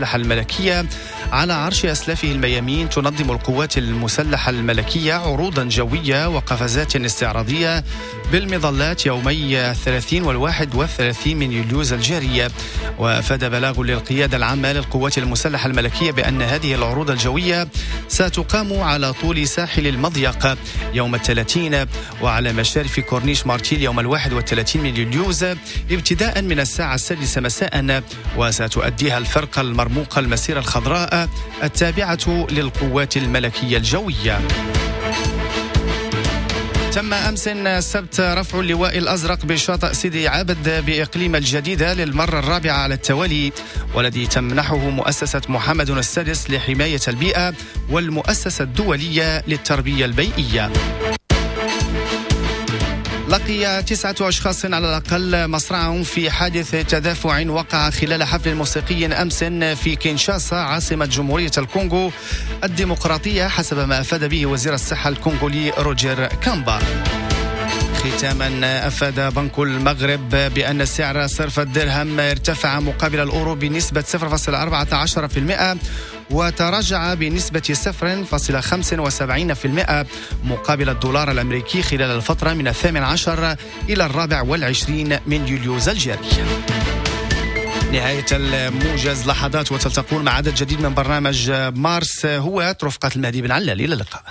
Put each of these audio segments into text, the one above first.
المسلحة الملكية على عرش أسلافه الميامين، تنظم القوات المسلحة الملكية عروضا جوية وقفزات استعراضية بالمظلات يومي 30 و31 من يوليوز الجارية. وأفاد بلاغ للقيادة العامة للقوات المسلحة الملكية بأن هذه العروض الجوية ستقام على طول ساحل المضيق يوم 30 وعلى مشارف كورنيش مارتيل يوم 31 من يوليوز ابتداء من الساعة 6 مساء، وستؤديها الفرقة المرموقة المسيرة الخضراء التابعة للقوات الملكية الجوية. تم أمس السبت رفع اللواء الأزرق بشاطئ سيدي عابد بإقليم الجديدة للمرة الرابعة على التوالي، والذي تمنحه مؤسسة محمد السادس لحماية البيئة والمؤسسة الدولية للتربية البيئية. لقي 9 أشخاص على الأقل مصرعهم في حادث تدافع وقع خلال حفل موسيقي أمس في كينشاسا عاصمة جمهورية الكونغو الديمقراطية، حسب ما أفاد به وزير الصحة الكونغولي روجر كامبا. ختاما، أفاد بنك المغرب بأن سعر صرف الدرهم ارتفع مقابل الأورو بنسبة 0.14% وتراجع بنسبة 0.75% مقابل الدولار الأمريكي خلال الفترة من 18 إلى 24 من يوليوز الجاري. نهاية الموجز، لحظات وتلتقون مع عدد جديد من برنامج مارس هو رفقة المهدي بن علال. إلى اللقاء.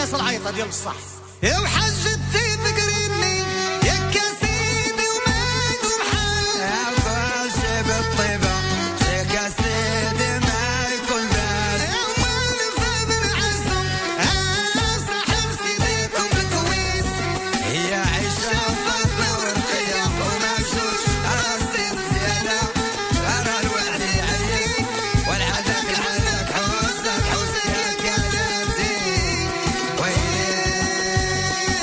الناس العيطه ديال بصح يا وحجتي فكريني يا كاسيدي وما يدوم حال يا كلشي بالطيبه يا كاسيدي ما يكون باس يا مالفة بالعزم صاحب سيديكم بالكويس هي عيشة وفاطمة ورقية ومعشوش راسي الزيادة أرى الوعد يعيش والعادك عندك حوسك حوسك يا كلامتي ويلي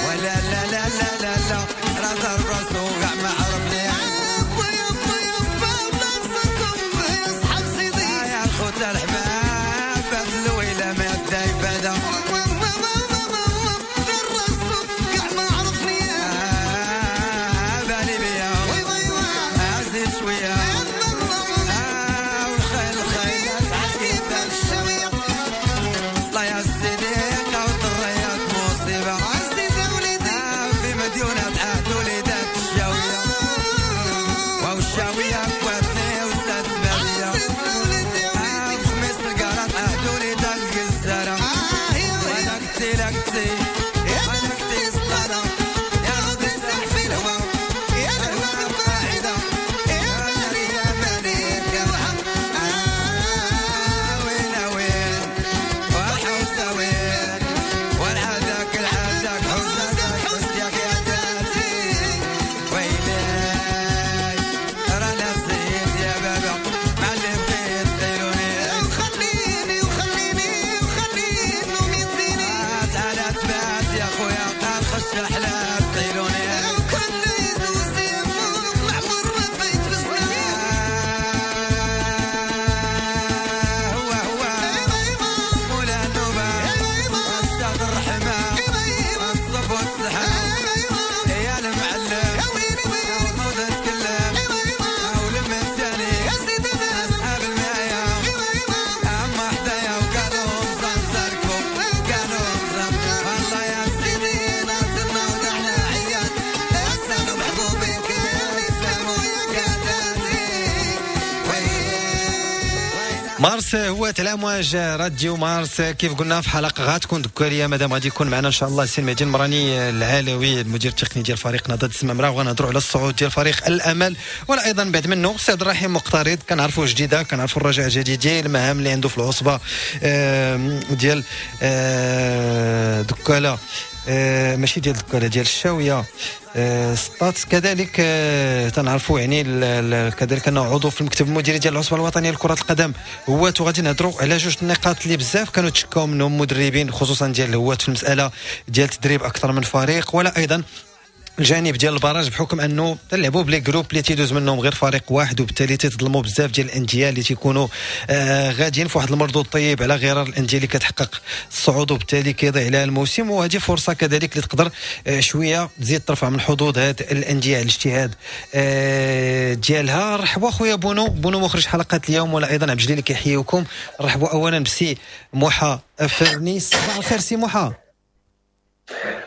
ولا لا لا لا لا لا راه ضرب راسو كاع ما عرفني يابا يابا يابا الله ينصركم يا صحاب سيدي يا الخوت الحباب باب الويلة ما يبدا يفادا الراسو كاع ما عرفني بالي بيا وي وي وي عزيز شوية والخيل الخيل عجيب الشوية الله يا سيدي قوت الرياض مصيبة عزيز يا وليدي في مديونة عهد وليدات الشاوية والشاوية كواتني وسات بابية عزيز يا وليدي يا وليدي خميس القرط عهد وليدات القزارة وانا كتي لا كتي وانا كتي سطارة يا رضي السح في الهوى يا الهوى بالقاعدة يا مالي يا مالي يا وحق وين وين والحوسة وين والعادك العادك حوسك حوسك يا داتي ويلي رانا نسيت يا بابا مع اللي بغيت خيروني وخليني وخليني وخليني نوم يديني تعالى تبات يا خويا الخش الحلال خيروني وكل يدوز يموت معمر ما فايت بزنان هو هو مولا النوبة أستاذ الرحمة الصب والسحاب يا المعلم نوض اتكلم ولما الثاني أصحاب المايا أما حدايا وقالوا مزنزركم قالوا مزنزر والله يا سيدي نازلنا ودعنا عيال أسألوا محبوبي كان يسلموا يا كاداتي مارس هو الامواج راديو مارس. كيف قلنا في حلقة غتكون دكاليه مادام غادي يكون معنا ان شاء الله السي المهدي المراني العلوي المدير التقني ديال فريق نهضة الزمامره، وغنهضروا على الصعود ديال فريق الامل، ولا ايضا بعد منه السي عبد الرحيم مقترض كنعرفوه جديدة، كنعرفوا الرجاء الجديد ديال المهام اللي عنده في العصبة ديال دكاله، ماشي ديال دكاله ديال الشاويه سطات. كذلك تنعرفوا يعني كذلك انه عضو في المكتب المديري ديال العصبة الوطنية لكرة القدم هوات. وغادي نهضروا على جوج النقاط اللي بزاف كانوا تشكاو منهم مدربين خصوصا ديال الهوات في المسالة ديال تدريب اكثر من فريق، ولا ايضا الجانب ديال ال barrage بحكم انه تلعبوا ب les groupes اللي تيدوز منهم غير فريق واحد، وبالتالي تيتظلموا بزاف ديال الاندية اللي تيكونوا غاديين في واحد المردود طيب على غرار الاندية اللي كتحقق الصعود، وبالتالي كيضيع عليها الموسم. وهذه فرصة كذلك اللي تقدر شوية تزيد ترفع من حظوظ هاد الاندية على الاجتهاد ديالها. رحبوا خويا بونو مخرج حلقة اليوم، ولا ايضا عبد الجليل اللي كيحييكم. رحبوا اولا بسي موحى افرني. صباح الخير سي موحى.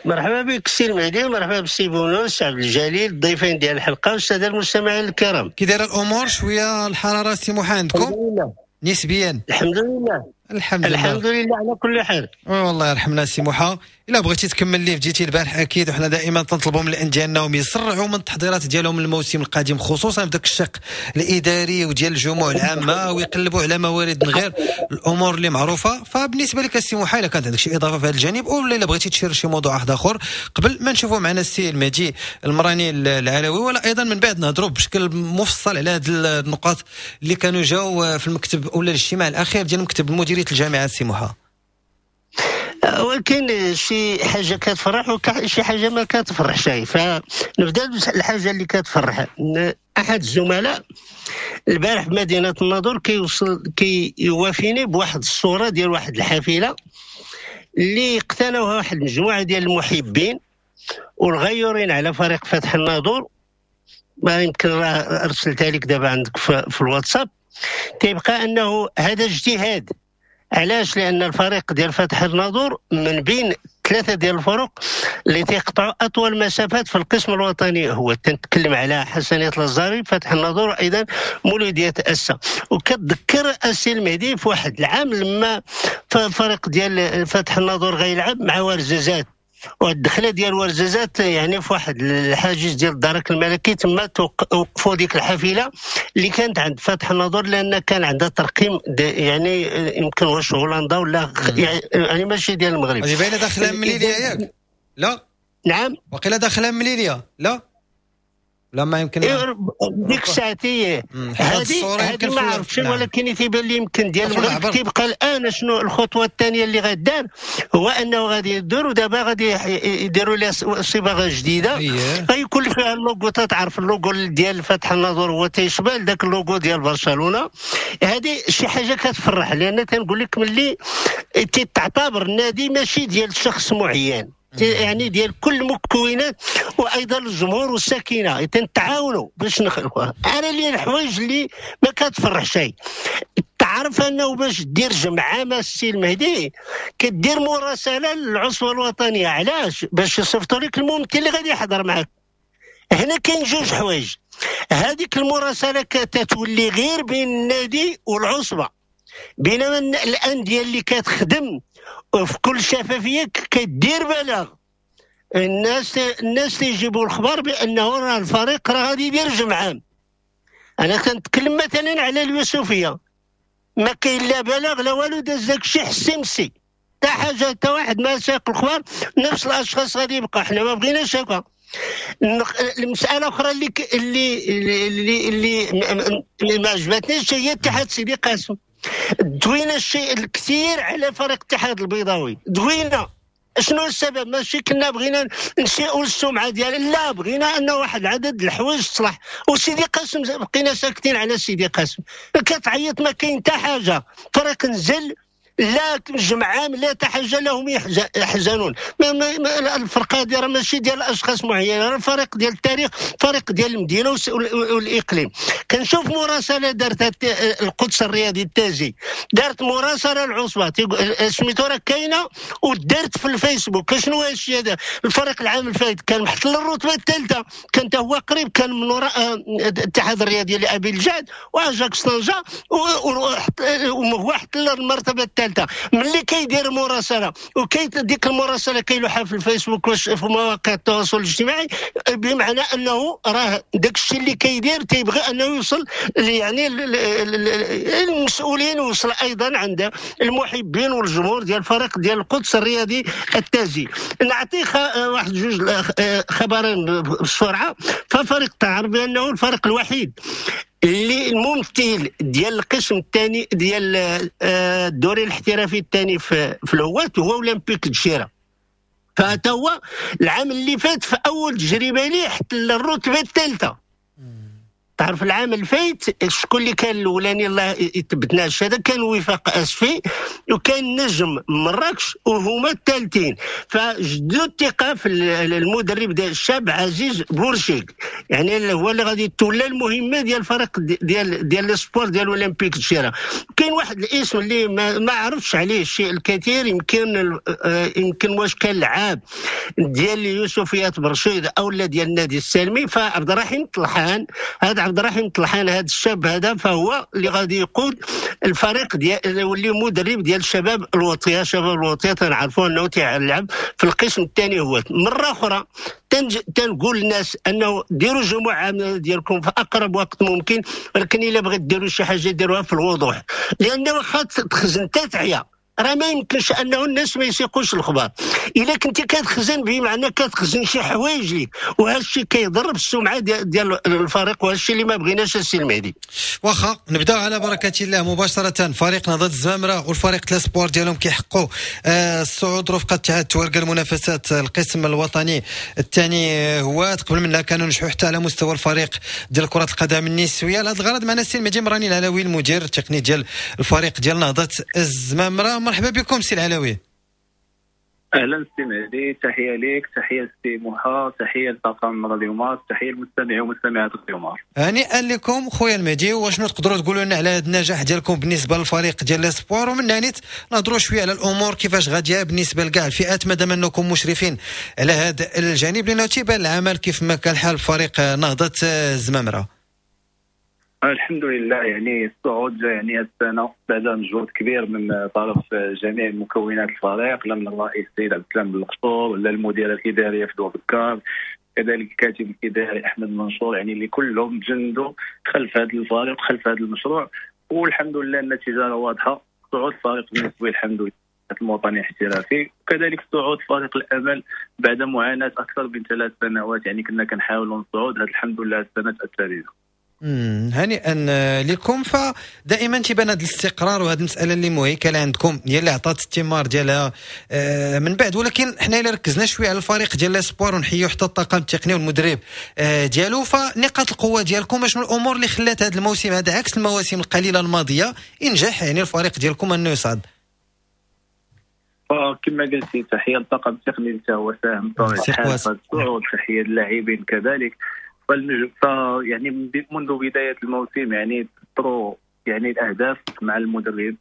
مرحبا بك سي المهدي، ومرحبا بسي بونو، سي عبد الجليل، الضيفين ديال الحلقة والسادة المستمعين الكرام. كي دايرة الامور؟ شوية الحرارة سي موحى عندكم؟ الحمد لله نسبيا. الحمد لله الحمد لله الحمد لله على كل حال. والله يرحمنا سي موحى. الا بغيتي تكمل اللي بديتي البارح اكيد، وحنا دائما تنطلبوا من الاندية انهم يسرعوا من التحضيرات ديالهم للموسم القادم، خصوصا في ذاك الشق الاداري وديال الجموع العامة، ويقلبوا على موارد من غير الامور اللي معروفة. فبالنسبه لك السي موحى الا كانت عندك شي اضافه في هذا الجانب، او الا بغيتي تشير شي موضوع واحد اخر قبل ما نشوفوا معنا السي المهدي المراني العلوي، ولا ايضا من بعد نهضروا بشكل مفصل على هذه النقاط اللي كانوا جاوا في المكتب ولا الاجتماع الاخير ديال مكتب مديرية الجامعة السي موحى. ولكن شي حاجة كتفرح وشي حاجة ما كتفرحش. فنبدا الحاجة اللي كتفرح. احد الزملاء البارح بمدينة الناظور كيوافيني بواحد الصورة ديال واحد الحافلة اللي اقتنوها واحد المجموعة ديال المحبين والغيورين على فريق فتح الناظور. ما يمكن راه ارسلتها لك دابا عندك في الواتساب. تيبقى انه هذا اجتهاد. علاش؟ لان الفريق ديال فتح الناظور من بين ثلاثة ديال الفرق اللي تيقطعوا اطول مسافات في القسم الوطني، هو تنتكلم على حسنيه الازهري، فتح الناظور، وايضا مولوديه اسا. وكتذكر السي المهدي في واحد العام لما فريق ديال فتح الناظور غيلعب مع ورزازات، والدخله ديال ورزازات يعني في واحد الحاجز ديال الدرك الملكي، تما وقفوا ديك الحافلة اللي كانت عند فتح الناظور، لان كان عندها ترقيم يعني يمكن واش هولندا ولا يعني ماشي ديال المغرب. هذه باينة داخله مليليه ياك؟ لا نعم، وقيله داخله مليليه. لا لا ما يمكن ديك الساعة هذه ما عرفتش، ولكن تيبان لي يمكن ديال المغرب. تيبقى الان شنو الخطوة الثانية اللي غدار، هو انه غادي يديروا دابا غادي يديروا لها صباغه جديدة غيكون فيها اللوغو، تعرف اللوغو ديال فتح الناظور هو تيشبه لذاك اللوغو ديال برشلونة. هذه شي حاجة كتفرح، لان تنقول لك ملي تيتعتبر النادي ماشي ديال شخص معين، يعني ديال كل المكونات وايضا الجمهور والساكنه تنتعاونوا باش نخلقوها. انا اللي الحوايج اللي ما كتفرح شيء، تعرف انه باش دير جمعه مع السي المهدي كدير مراسله للعصبه الوطنية، علاش؟ باش يصيفطوا لك الممثل اللي غادي يحضر معك. هنا كاين جوج حوايج، هذيك المراسله كتولي غير بين النادي والعصبه، بينما الاندية اللي كتخدم في كل شفافية كدير بلاغ، الناس تيجيبوا الخبر بانه راه الفريق راه غادي يدير جمعه. انا كنتكلم مثلا على اليوسفيه، ما كاين لا بلاغ لا والو، داز داكشي حسي مسي، حتى حاجة، حتى واحد ما ساق الخبر، نفس الاشخاص غادي يبقى. حنا ما بغيناش هكا. المسالة اخرى اللي اللي اللي اللي ما عجبتنيش هي اتحاد سيدي قاسم. دوينا الشيء الكثير على فريق الاتحاد البيضاوي، دوينا شنو السبب؟ ماشي كنا بغينا نسيئوا السمعة ديال، لا بغينا ان واحد العدد الحوايج تصلح. وسيدي قاسم بقينا ساكتين على سيدي قاسم، كتعيط ما كاين حتى حاجة، فريق نزل لا جمعام لا حاجة لهم يحزنون. الفرقة هذه راه ماشي ديال اشخاص معينين، راه الفريق ديال التاريخ، فريق ديال المدينة والاقليم. كنشوف مراسله دارتها القدس الرياضي التازي، دارت مراسله العصبة سميتو راه كاينه ودارت في الفيسبوك. شنو هذا الشيء هذا؟ الفريق العام الفايت كان محتل الرتبة الثالثة، كان هو قريب، كان من وراء الاتحاد الرياضي لابي الجعد واجاكس طنجه، وهو احتل المرتبة الثالثة. ملي كيدير مراسله وكي ديك المراسله كيلوحها في الفيسبوك وفي مواقع التواصل الاجتماعي، بمعنى انه راه داك الشيء اللي كيدير تيبغي انه يوصل يعني المسؤولين، ويوصل ايضا عند المحبين والجمهور ديال الفريق ديال القدس الرياضي التازي. نعطي واحد جوج خبرين بسرعة. ففريق تعرف بانه الفريق الوحيد اللي الممثل ديال القسم الثاني ديال الدوري الاحترافي الثاني في الهواة هو اولمبيك الجزيرة. فهذا هو العام اللي فات في اول تجربه ليه احتل الرتبة الثالثة. تعرف العام الفايت شكون اللي كان الاولاني؟ الله يثبتنا هذا كان وفاق اسفي وكان نجم مراكش وهما الثالثين. فجدوا الثقة في المدرب ديال الشاب عزيز بورشيك، يعني هو اللي غادي يتولى المهمة ديال الفريق ديال les espoirs ديال اولمبيك الجزيرة. كاين واحد الاسم اللي ما عرفتش عليه الشيء الكثير، يمكن واش كان لعاب ديال يوسفيات برشيد او لا ديال النادي السالمي، فعبد الرحيم طلحان. هذا عبد الرحيم طلحان هذا الشاب هذا فهو اللي غادي يقود الفريق ديال يولي مدرب ديال الشباب الوطية. شباب الوطية تنعرفوا انه تيلعب في القسم الثاني. هو مرة اخرى تنقول للناس انه ديروا جمعه ديالكم في اقرب وقت ممكن، ولكن الا بغيت ديروا شي حاجة ديروها في الوضوح، لان واخا تخزن تتعيا راه ما يمكنش انه الناس ما يسيقوش الخبر. الا كنتي كتخزن بمعنى كتخزن شي حوايج ليك، وهذا الشيء كيضر بالسمعه ديال الفريق، وهذا الشيء اللي ما بغيناش السي المهدي. واخا نبداو على بركة الله مباشرة. فريق نهضة الزمامره والفريق les espoirs ديالهم كيحققوا الصعود رفقه اتحاد تواركه المنافسات القسم الوطني الثاني هوات. قبل منها كانوا نجحوا حتى على مستوى الفريق ديال كره القدم النسوية. لهذا الغرض معنا السي المهدي مراني العلوي المدير التقني ديال الفريق ديال نهضة الزمامره. مرحبا بكم سي العلوي. اهلا سي مهدي، تحية ليك، تحية سي موحى، تحية لطاقم راديو مارس، تحية للمستمعين ومستمعات راديو مارس. هنيئا لكم خويا المهدي، وشنو تقدروا تقولوا لنا على هذا النجاح ديالكم بالنسبة للفريق ديال l'espoir؟ ومن هنا نهضروا شوية على الامور كيفاش غادية بالنسبة لكاع الفئات، مادام انكم مشرفين على هذا الجانب، لانه تيبان العمل كيف ما كان الحال فريق نهضة الزمامره. الحمد لله، يعني الصعود جاء يعني هذه السنة بعد مجهود كبير من طرف جميع مكونات الفريق، لا من الرئيس السيد عبد السلام بالقصور، لا المديرة الادارية في بكار، كذلك الكاتب الاداري احمد منصور، يعني اللي كلهم تجندوا خلف هذا الفريق خلف هذا المشروع، والحمد لله النتيجة واضحة، صعود الفريق بالنسبة الحمد لله الوطني الاحترافي، وكذلك صعود فريق الامل بعد معاناة اكثر من 3 سنوات، يعني كنا كنحاولوا نصعود، هذا الحمد لله السنة الثالثة. هنيئا لكم. فدائما تيبان هذا الاستقرار وهذه المسالة اللي مهيكله عندكم هي اللي عطات الثمار ديالها من بعد. ولكن حنا الا ركزنا شوية على الفريق ديال l'espoir ونحيو حتى الطاقم التقني والمدرب ديالو، فنقاط القوة ديالكم شنو الامور اللي خلات هذا الموسم هذا عكس المواسم القليلة الماضية ينجح يعني الفريق ديالكم انه يصعد؟ كما قلتي تحية للطاقم التقني اللي هو ساهم بطبيعة الحال في الصعود، تحية للاعبين كذلك. يعني منذ بداية الموسم يعني طرو يعني الاهداف مع المدرب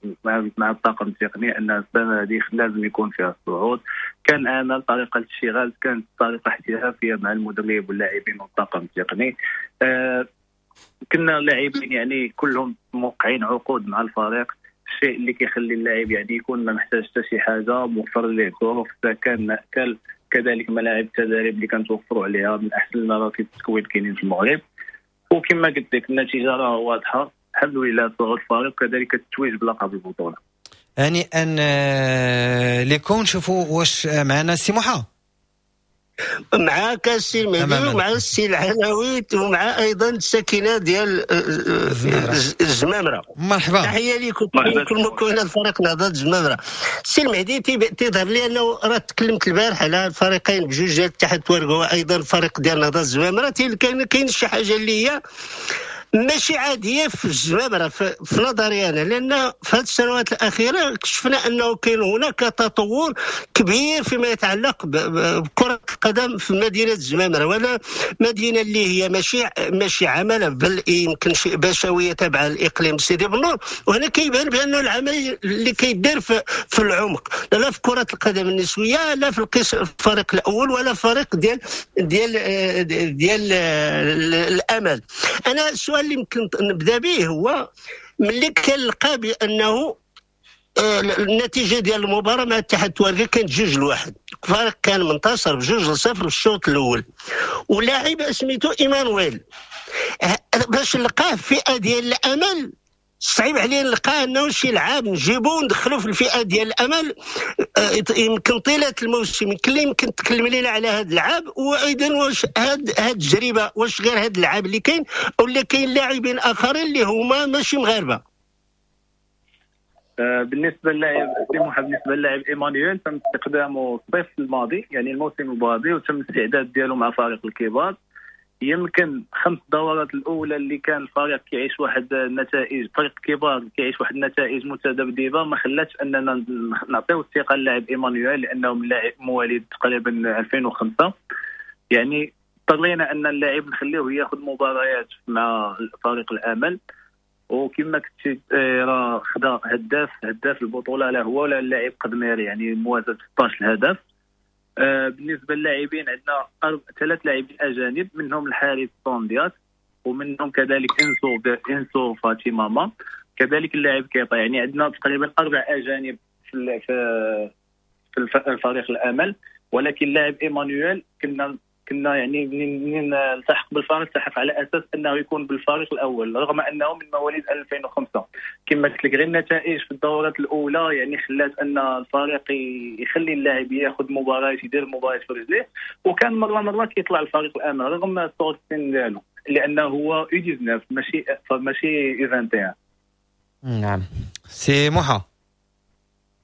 مع الطاقم التقني ان السنة هذه لازم يكون فيها الصعود. كان عمل طريقه الاشتغال كانت طريقه احترافية مع المدرب واللاعبين والطاقم التقني. كنا لاعبين يعني كلهم موقعين عقود مع الفريق، الشيء اللي كيخلي اللاعب يعني يكون ما محتاج حتى شي حاجة، موفر ليه ظروف سكن مأكل، كذلك ملاعب التدريب اللي كنتوفروا عليها من احسن المراكز التكوين كاينين في المغرب. وكما قلت لك النتيجة راه واضحة الحمد لله، صعود الفريق وكذلك التتويج بلقب البطولة. هنيئا لكم. نشوفوا واش معنا سي موحى. معاك السي المهدي ومع السي العلوي ومع ايضا الساكنة ديال الزمامره. مرحبا، تحية لكم كل مكونات فريق نهضة الزمامره. السي المهدي تيظهر لي انه راه تكلمت البارح على الفريقين بجوج ديال الاتحاد التوارق وايضا الفريق ديال نهضة الزمامره، كاين شي حاجة اللي هي ماشي عادية في الزمامره في نظري انا، لان في هذه السنوات الاخيرة شفنا انه كاين هناك تطور كبير فيما يتعلق بكره القدم في مدينة الزمامره، ولا مدينة اللي هي ماشي عمله بل يمكن بشوية تابعه لاقليم سيدي بنور. وهنا كيبان بان العمل اللي كيدير في العمق، لا في كره القدم النسوية، لا في الفريق الاول، ولا فريق ديال ديال ديال الامل. انا السؤال اللي يمكن نبدا به هو ملي كنلقى بانه النتيجة ديال المباراة مع الاتحاد التوارقي كانت 2-1، الفريق كان منتصر ب2-0 في الشوط الاول، ولاعب سميتو ايمانويل باش نلقاه في فئة ديال الامل صعيب عليه نلقاه انه شي لعاب نجيبو وندخلو في الفئة ديال الامل يمكن طيلة الموسم. يمكن تكلم لنا على هذا اللعاب، وايضا واش هاد التجربة واش غير هاد اللعاب اللي كاين ولا كاين لاعبين اخرين اللي هما ماشي مغاربة؟ بالنسبة للاعب بالنسبة للاعب ايمانويل تم استقدامه الصيف الماضي يعني الموسم الماضي، وتم الاستعداد ديالو مع فريق الكبار. يمكن 5 دورات الاولى اللي كان الفريق كيعيش واحد النتائج، فريق الكبار كيعيش واحد النتائج متذبذبه، ما خلاتش اننا نعطيو الثقة للاعب ايمانويل لانه من لاعب مواليد تقريبا 2005، يعني اضطرينا ان اللاعب نخليه ياخذ مباريات مع فريق الامل. وكما كنت راه خدا هداف البطولة، لا هو ولا اللاعب قدميري، يعني موازاه 16 هدف. بالنسبة للاعبين عندنا 3 لاعبين اجانب، منهم الحارس طونديات، ومنهم كذلك انسو فاتيماما، كذلك اللاعب كيطا. يعني عندنا تقريبا 4 اجانب في الفريق الامل. ولكن اللاعب ايمانويل كنا يعني منين التحق بالفريق التحق على اساس انه يكون بالفريق الاول، رغم انه من مواليد 2005. كما قلت لك غير النتائج في الدورات الاولى يعني خلات ان الفريق يخلي اللاعب ياخذ مباريات، يدير مباريات في رجليه، وكان مرة كيطلع الفريق الامل رغم صغر السن ديالو، لانه هو U19 ماشي U21. نعم سي موحى،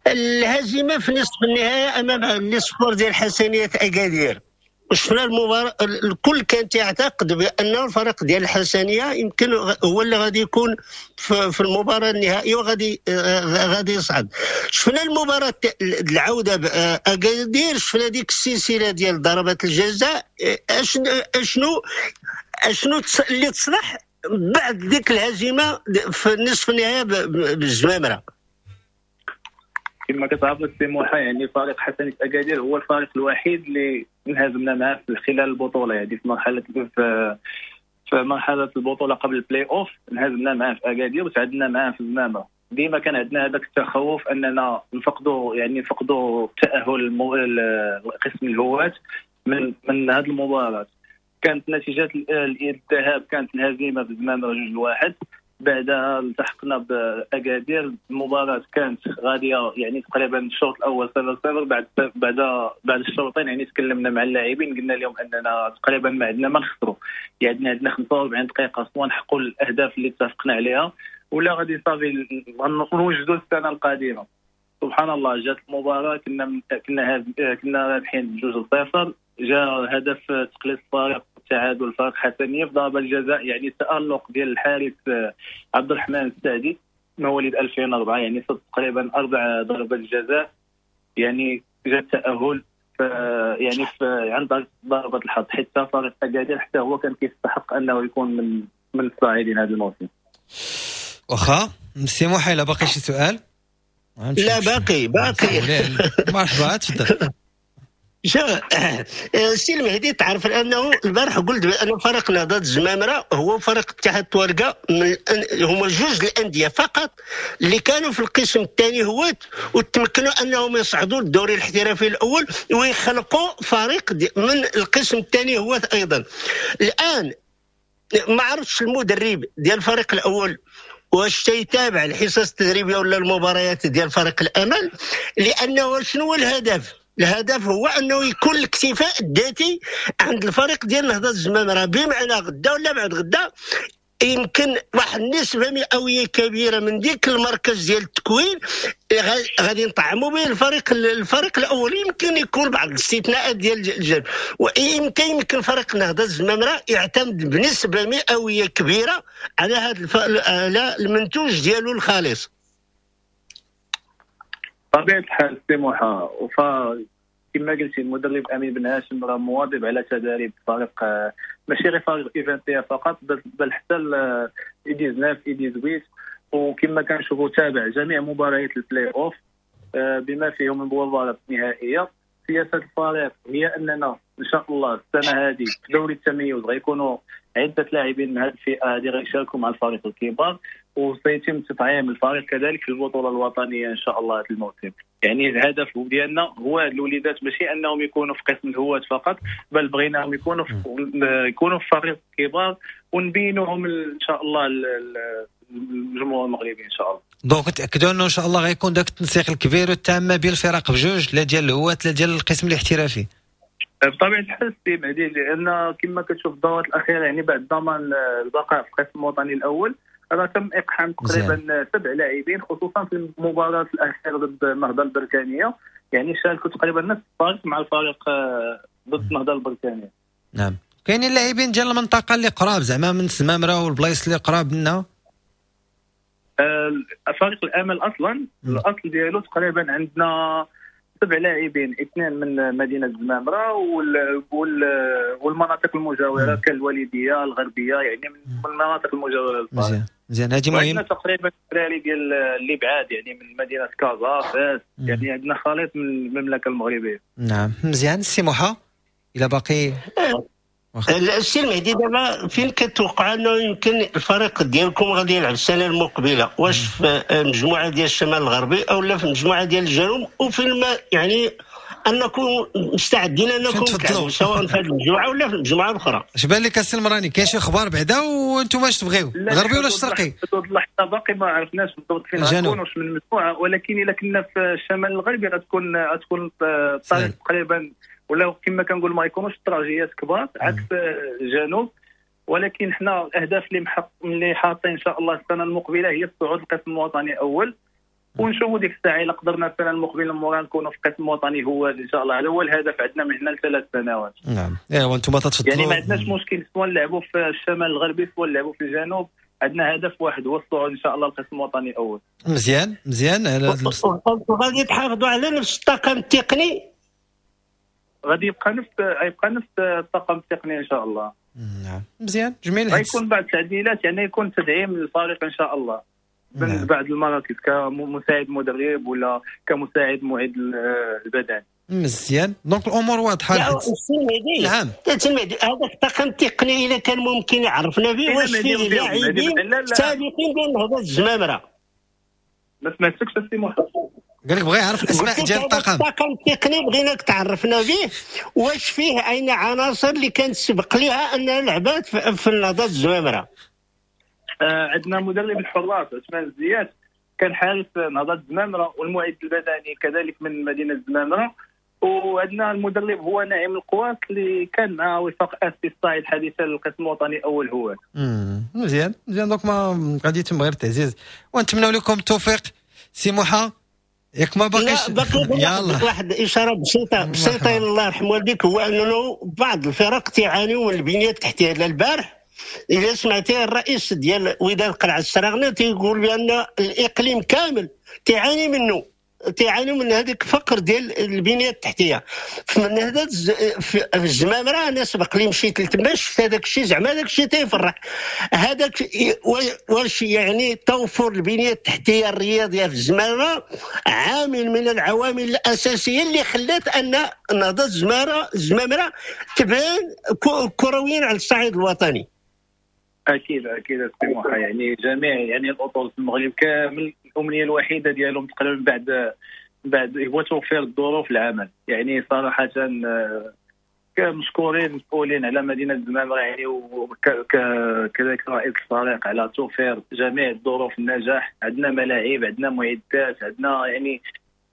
الهزيمة في نصف النهائي امام l'espoir ديال حسنيه اكادير، وشفنا المباراة، الكل كان تعتقد بان الفريق ديال الحسنيه يمكن هو اللي غادي يكون في المباراة النهائية وغادي غادي يصعد. شفنا المباراة العودة باكادير، شفنا ديك السلسلة ديال ضربات الجزاء. اشنو اللي تصلح بعد ديك الهزيمة في النصف النهائي بالزمامره؟ كما كتعرف السي موحى، يعني فريق حسنية اكادير هو الفريق الوحيد اللي انهزمنا معاه خلال البطولة، يعني في مرحلة البطولة قبل البلاي اوف انهزمنا معاه في اكادير وتعادلنا معاه في الزمامره. ديما كان عندنا هذاك التخوف اننا نفقدوا التاهل لقسم الهواة من هذه المباراة. كانت نتيجة الذهاب كانت الهزيمة بالزمامره 2-1، بعدها التحقنا باكادير. المباراة كانت غادية يعني تقريبا الشوط الاول 0-0، بعد الشوطين يعني تكلمنا مع اللاعبين قلنا لهم اننا تقريبا ما عندنا ما نخسروا، يعني عندنا 45 دقيقة سواء نحققوا الاهداف اللي اتفقنا عليها ولا غادي صافي نوجدوا السنة القادمة. سبحان الله جات المباراة كنا رابحين 2-0، جاء هدف تقليص الفارق تعادل فريق حسنيه في ضربه الجزاء، يعني التالق ديال الحارس عبد الرحمن السعدي مواليد 2004، يعني صد تقريبا 4 ضربات جزاء، يعني جاء التاهل يعني في عند ضربه الحظ، حتى فريق اكادير حتى هو كان كيستحق انه يكون من الصاعدين هذا الموسم. واخا سي موحى، الا باقي شي سؤال؟ لا باقي. مرحبا تفضل. السي المهدي، تعرف انه البارح قلت بان فريق نهضة الزمامره هو فريق اتحاد تواركه، هما جوج الاندية فقط اللي كانوا في القسم الثاني هوات وتمكنوا انهم يصعدوا للدوري الاحترافي الاول ويخلقوا فريق من القسم الثاني هوات ايضا. الان ما عرفتش المدرب ديال الفريق الاول واش تيتابع الحصص التدريبية ولا المباريات ديال فريق الامل، لانه شنو هو الهدف؟ الهدف هو انه يكون الاكتفاء الذاتي عند الفريق ديال نهضة الزمامره، بمعنى غدا ولا بعد غدا يمكن واحد النسبة مئوية كبيرة من ديك المركز ديال التكوين غادي نطعموا به الفريق الاول. يمكن يكون بعض الاستثناءات ديال الجانب، ويمكن فريق نهضة الزمامره يعتمد بنسبة مئوية كبيرة على هذا على المنتوج ديالو الخالص. طبيعة الحال سي موحى، كما قلتي المدرب امين بن هاشم راه مواظب على تداريب فريق، ماشي غير فريق U21 فقط بل حتى U19 U18، وكما كنشوفوا تابع جميع مباريات البلاي اوف بما فيهم المباراة النهائية. سياسة الفريق هي اننا ان شاء الله السنة هذه في دوري التميز غيكونوا عده لاعبين من هذه الفئة هذه غيشاركوا مع الفريق الكبار، وسيتم تطعيم الفريق كذلك في البطولة الوطنية ان شاء الله هذا الموسم. يعني الهدف ديالنا هو هاد الوليدات ماشي انهم يكونوا في قسم الهواة فقط، بل بغيناهم يكونوا في فريق كبار ونبينوهم ان شاء الله الجمهور المغربي ان شاء الله. donc تاكدوا انه ان شاء الله غيكون داك التنسيق الكبير والتام ما بين الفرق بجوج، لا ديال الهواة لا ديال القسم الاحترافي. بطبيعة الحال السي مهدي، لان كما كتشوف الدورات الاخيرة يعني بعد ضمان البقاء في القسم الوطني الاول راه تم اقحام تقريبا 7 لاعبين، خصوصا في المباراة الاخيرة ضد النهضة البركانيه، يعني شاركوا تقريبا نفس الفريق مع الفريق ضد النهضة البركانيه. نعم، كاينين اللاعبين ديال المنطقة اللي قراب زعما من الزمامره والبلايص اللي قراب منا. فريق الامل اصلا الاصل ديالو تقريبا عندنا 7 لاعبين، 2 من مدينة الزمامره والمناطق المجاورة كالوالديه الغربية، يعني من المناطق المجاورة للفريق. مزيان، هادي مهم. عندنا تقريبا الدراري ديال اللي بعاد يعني من مدينة كازا، فاس، يعني عندنا خليط من المملكة المغربية. نعم مزيان. السي موحى الى باقي السي المهدي، دابا فين كتوقع انه يمكن الفريق ديالكم غادي يلعب السنة المقبلة؟ واش في مجموعة ديال الشمال الغربي او لا في مجموعة ديال الجنوب؟ وفين ما يعني انكم مستعدين انكم تلعبوا سواء في هذه المجموعة ولا في المجموعة الاخرى؟ اش بان لك السي المراني، كاين شي اخبار بعدا وانتم اش تبغيو، الغربي ولا الشرقي؟ اللحظة باقي ما عرفناش بالضبط فين غنكون واش من المجموعة، ولكن الا كنا في الشمال الغربي غتكون الطريق تقريبا، ولا كما كنقول ما يكونوش تراجيات كبار عكس الجنوب. ولكن حنا الاهداف اللي حاطين ان شاء الله السنة المقبلة هي الصعود للقسم الوطني اول. ونشوفوا ديك الساعة الا قدرنا السنة المقبلة مورا نكونوا في القسم الوطني هو ان شاء الله. هذا هو الهدف عندنا من هنا لثلاث سنوات. نعم، ايوا انتم تتفضلوا، يعني ما عندناش مشكل سواء نلعبوا في الشمال الغربي سواء نلعبوا في الجنوب، عندنا هدف واحد هو الصعود ان شاء الله القسم الوطني الاول. مزيان مزيان. وغادي تحافظوا على نفس الطاقم التقني؟ غادي يبقى نفس الطاقم التقني ان شاء الله. نعم مزيان جميل. غيكون بعض التعديلات، يعني يكون تدعيم للفريق ان شاء الله من نعم. بعض المراكز كمساعد مدرب ولا كمساعد معد البدني. مزيان، donc الامور واضحة. نعم هذاك الطاقم التقني اذا كان ممكن يعرفنا به واش فيه لاعبين سابقين ديال نهضة الزمامره. ما سمعتكش السي محمد. قال لك بغى يعرف الاسماء ديال الطاقم. الطاقم التقني بغيناك تعرفنا به واش فيه اين عناصر اللي كانت سبق لها انها لعبات في نهضة الزمامره. عندنا مدرب الحراس عثمان الزيات كان حارس نهضة الزمامره، والمعد البدني كذلك من مدينة الزمامره، وعندنا المدرب هو نعيم القواس اللي كان مع وفاق اسفي الصعيد حديثا للقسم الوطني اول هو. مزيان مزيان. donc ما غادي يتم غير التعزيز، ونتمنوا لكم التوفيق سي موحى. ياك ما باقيش؟ يلا واحد اشارة بسيطة بسيطة الله يرحم والديك، هو انه بعض الفرق تعانيوا من البنية التحتية. البارح اذا سمعتي الرئيس ديال وداد قلعه السراغنه تيقول بان الاقليم كامل تعاني منه، تعاني من هذيك الفقر ديال البنية التحتية. من هذا في الزمامره انا سبق لي مشيت لتما شفت هذاك الشيء، زعما هذاك الشيء تيفرح. هذاك واش يعني توفر البنية التحتية الرياضية في الزمامره عامل من العوامل الاساسية اللي خلات ان نهضة الزمامره تبان كرويا على الصعيد الوطني. اكيد اكيد السي، يعني جميع يعني الاطر في المغرب كامل الامنية الوحيدة ديالهم تقريبا بعد هو توفير الظروف العمل. يعني صراحة كمشكورين مسؤولين على مدينة الزمامره، يعني وكذلك رئيس الفريق على توفير جميع الظروف النجاح. عندنا ملاعب، عندنا معدات، عندنا يعني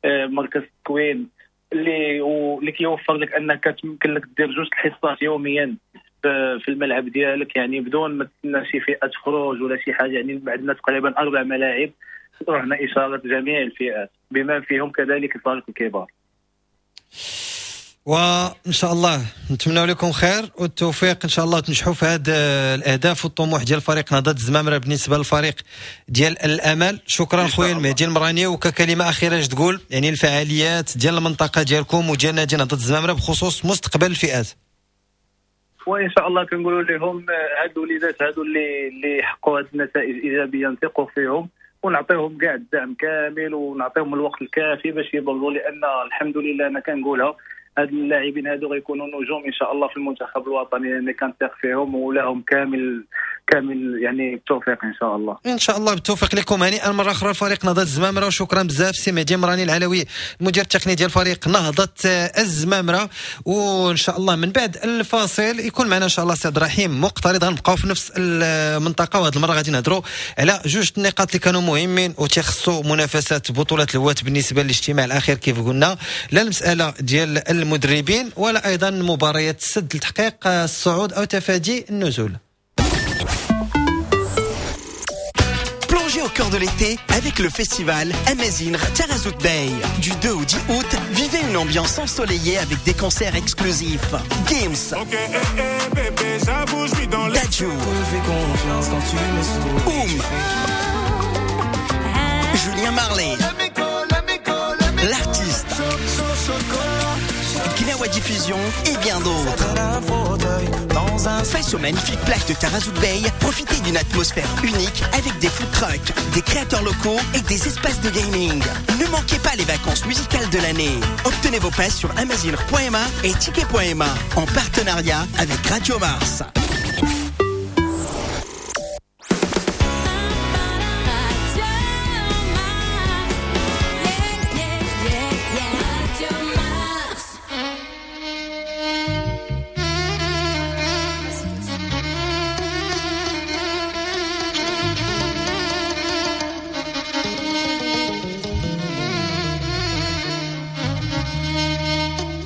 مركز تكوين اللي كيوفر لك انك تمكن لك دير جوج الحصات يوميا في الملعب ديالك، يعني بدون ما تستنى شي فئة تخرج ولا شي حاجة. يعني عندنا تقريبا 4 ملاعب رهن اشارة جميع الفئات بما فيهم كذلك الفريق الكبار. وان شاء الله نتمنى لكم خير والتوفيق ان شاء الله، تنجحوا في هذه الاهداف والطموح ديال فريق نهضة الزمامره بالنسبة للفريق ديال الامل. شكرا خويا المهدي المراني. وككلمه اخيرة اش تقول يعني الفعاليات ديال المنطقة ديالكم وديال نادي نهضة الزمامره بخصوص مستقبل الفئات؟ وان شاء الله كنقولوا لهم هاد الوليدات هادو اللي حققوا هاد النتائج الايجابية نثقوا فيهم ونعطيهم كاع الدعم كامل ونعطيهم الوقت الكافي باش يبرزوا، لان الحمد لله انا كنقولها هاد اللاعبين هادو غيكونوا نجوم ان شاء الله في المنتخب الوطني، لان كنثق فيهم ولهم كامل كامل يعني التوفيق ان شاء الله. ان شاء الله بالتوفيق لكم. هنيئا مرة اخرى فريق نهضة الزمامره، وشكرا بزاف سي مهدي مراني العلوي المدير التقني ديال فريق نهضة الزمامره. وان شاء الله من بعد الفاصل يكون معنا ان شاء الله سي عبد الرحيم مقترض. غنبقاو في نفس المنطقة، وهذه المرة غادي نهضروا على جوج النقاط اللي كانوا مهمين وتيخصوا منافسات بطوله الهواة بالنسبة للاجتماع الاخير كيف قلنا، لا المسالة ديال المدربين ولا ايضا مباريات السد لتحقيق الصعود او تفادي النزول. Plongez au cœur de l'été avec le festival Amazing Tarazout Bay. Du 2 au 10 août, vivez une ambiance ensoleillée avec des concerts exclusifs. Games. Okay, eh, eh, bébé, j'avoue, je suis dans les... Dadju. Oum. Julien Marley. L'artiste. Gnawa Diffusion et bien d'autres. Face aux magnifiques plages de Tarazout Bay, profitez d'une atmosphère unique avec des food trucks, des créateurs locaux et des espaces de gaming. Ne manquez pas les vacances musicales de l'année. Obtenez vos passes sur amazing.ma et ticket.ma en partenariat avec Radio Mars.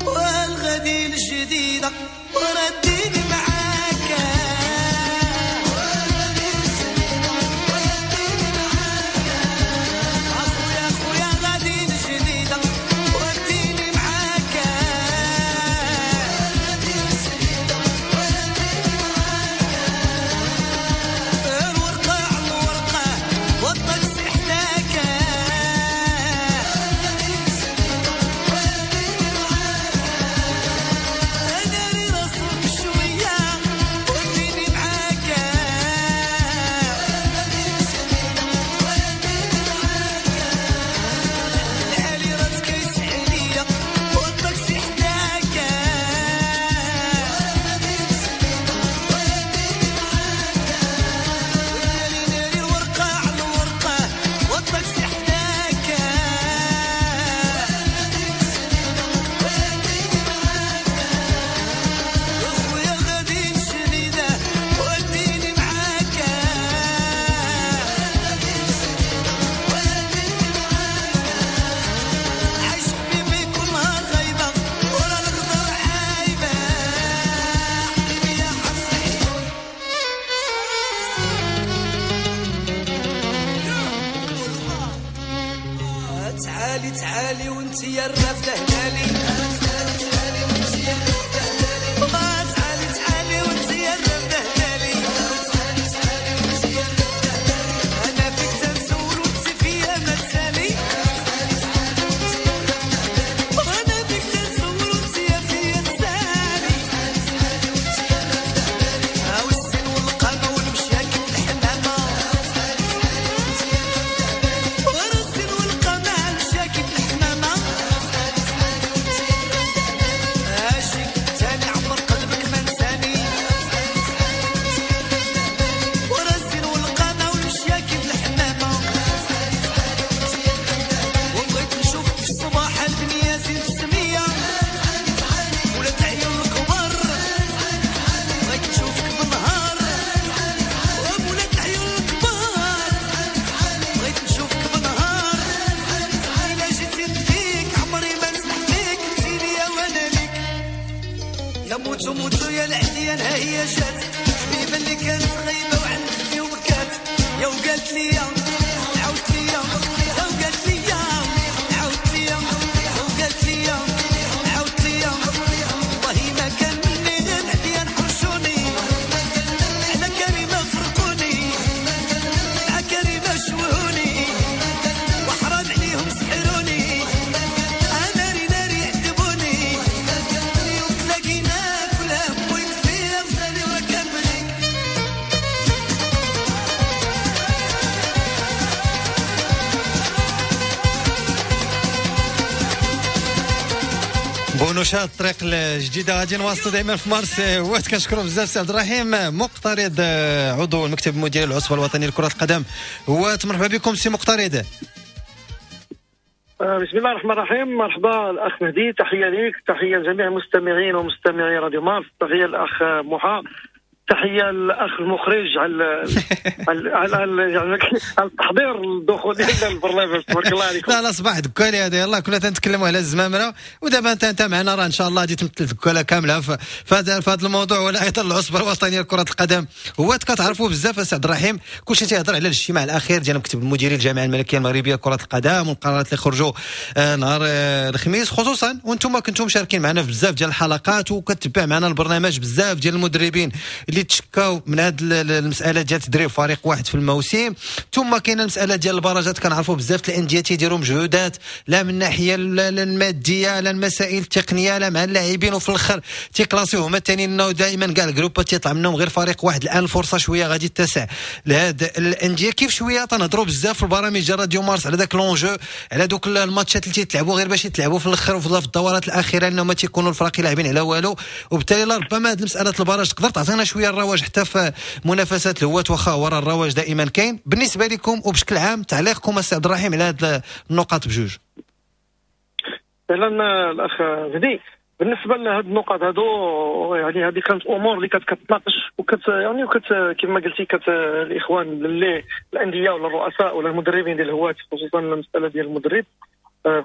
والغدير الجديدة ورديني معاك. تعالي تعالي وانت يا الرافده هلالي، تعالي تعالي وانت يا الرافده هلالي، تعالي تعالي وانت يا الرافده هلالي، تعالي تعالي وانت يا الرافده هلالي، انا فيك تنسول وانت فيا ما تسالي، تعالي تعالي وانت يا الرافده هلالي، انا فيك تنسول وانت فيا تسالي، تعالي تعالي وانت يا الرافده هلالي، هاو السن والقامه والمشيه كيف الحمامة، تعالي تعالي وانت يا الرافده هلالي، ورا السن والقامه المشيه كيف الحمامة، تعالي تعالي وانت يا الرافده هلالي، اجي تاني عمر قلبك ما نساني، تعالي تعالي وانت يا الرافده هلالي، ورا السن والقامه والمشيه كيف الحمامة، تعالي تعالي وانت يا الرافده هلالي، وبغيت نشوفك في الصباح البنية زين السمية، تعالي تعالي ولاد العيون الكبار، تعالي تعالي بغيت نشوفك بالنهار، تعالي تعالي وولاد العيون الكبار، تعالي تعالي بغيت نشوفك بالنهار، تعالي تعالي الا جيتي نديك عمري ما نسمح فيك، انت ليا وانا ليك، يا موتو موتو يا العديان ها هي جات، حبيبه اللي كانت غايبة وعندي وبكات، يا وقالت ليا عاودت ليا، يا وقالت ليا عاودت ليا، يا وقالت ليا عاودت ليا، والله ما كان مني غير العديان حرشوني، على كريمة فرقوني، مع كريمة شوهوني، وحرام عليهم سحروني، ناري ناري عذبوني، اليوم تلاقينا كل هم ويكفي غزالي وركب ليك. بونوشا الطريق الجديدة غادي نواصلوا دائما في مارس وقت. كنشكروا بزاف سي عبد الرحيم مقترض، عضو المكتب المديري للعصبه الوطنية لكرة القدم. مرحبا بكم سي مقترض. بسم الله الرحمن الرحيم. مرحبا الاخ مهدي، تحية ليك، تحية لجميع المستمعين ومستمعي راديو مارس، تحية للاخ محا، تحية للاخ المخرج على على على, على, على التحضير الدخول ديال البرنامج، تبارك الله عليكم. لا لا صباح دكالي هذا، يلاه كنا تنتكلموا على الزمامره ودابا انت معنا، راه ان شاء الله غادي تمثل دكاله كاملة في هذا الموضوع، ولا ايضا العصبة الوطنية لكرة القدم. هو كتعرفوا بزاف السي عبد الرحيم، كلشي تيهضر على الاجتماع الاخير ديال المكتب المديري للجامعة الملكية المغربية لكرة القدم والقرارات اللي خرجوا نهار الخميس، خصوصا وانتم كنتم مشاركين معنا في بزاف ديال الحلقات وكتبع معنا البرنامج بزاف ديال المدربين اللي تشكاو من هذه المسالة ديال تدريب فريق واحد في الموسم. ثم كاينه المسالة ديال البراجات، كنعرفوا بزاف الاندية تيديروا مجهودات لا من الناحية المادية لا المسائل التقنية لا مع اللاعبين، وفي الاخر تيكلاسيو هما الثانيين، انه دائما كاع الجروبات تيطلع منهم غير فريق واحد. الان الفرصة شوية غادي تتسع لهاد الاندية. كيف شوية تنهضروا بزاف في البرامج ديال راديو مارس على داك l'enjeu، على دوك الماتشات اللي تيتلعبوا غير باش يتلعبوا في الاخر وفي الدورات الاخيرة، انه ما تيكونوا الفرق لاعبين على والو. وبالتالي ربما هذه المسالة ال barrage تقدر تعطينا شوية الرواج حتى في منافسات الهواة، واخا ورا الرواج دائما كاين. بالنسبة لكم وبشكل عام تعليقكم السي عبد الرحيم على هذه النقاط بجوج. فعلا الاخ مهدي، بالنسبة لهذه النقاط هادو، يعني هذه كانت امور اللي كتناقش وكت يعني وكت كما قلتي الاخوان اللي الاندية ولا الرؤساء ولا المدربين ديال الهواة، خصوصا المسالة ديال المدرب،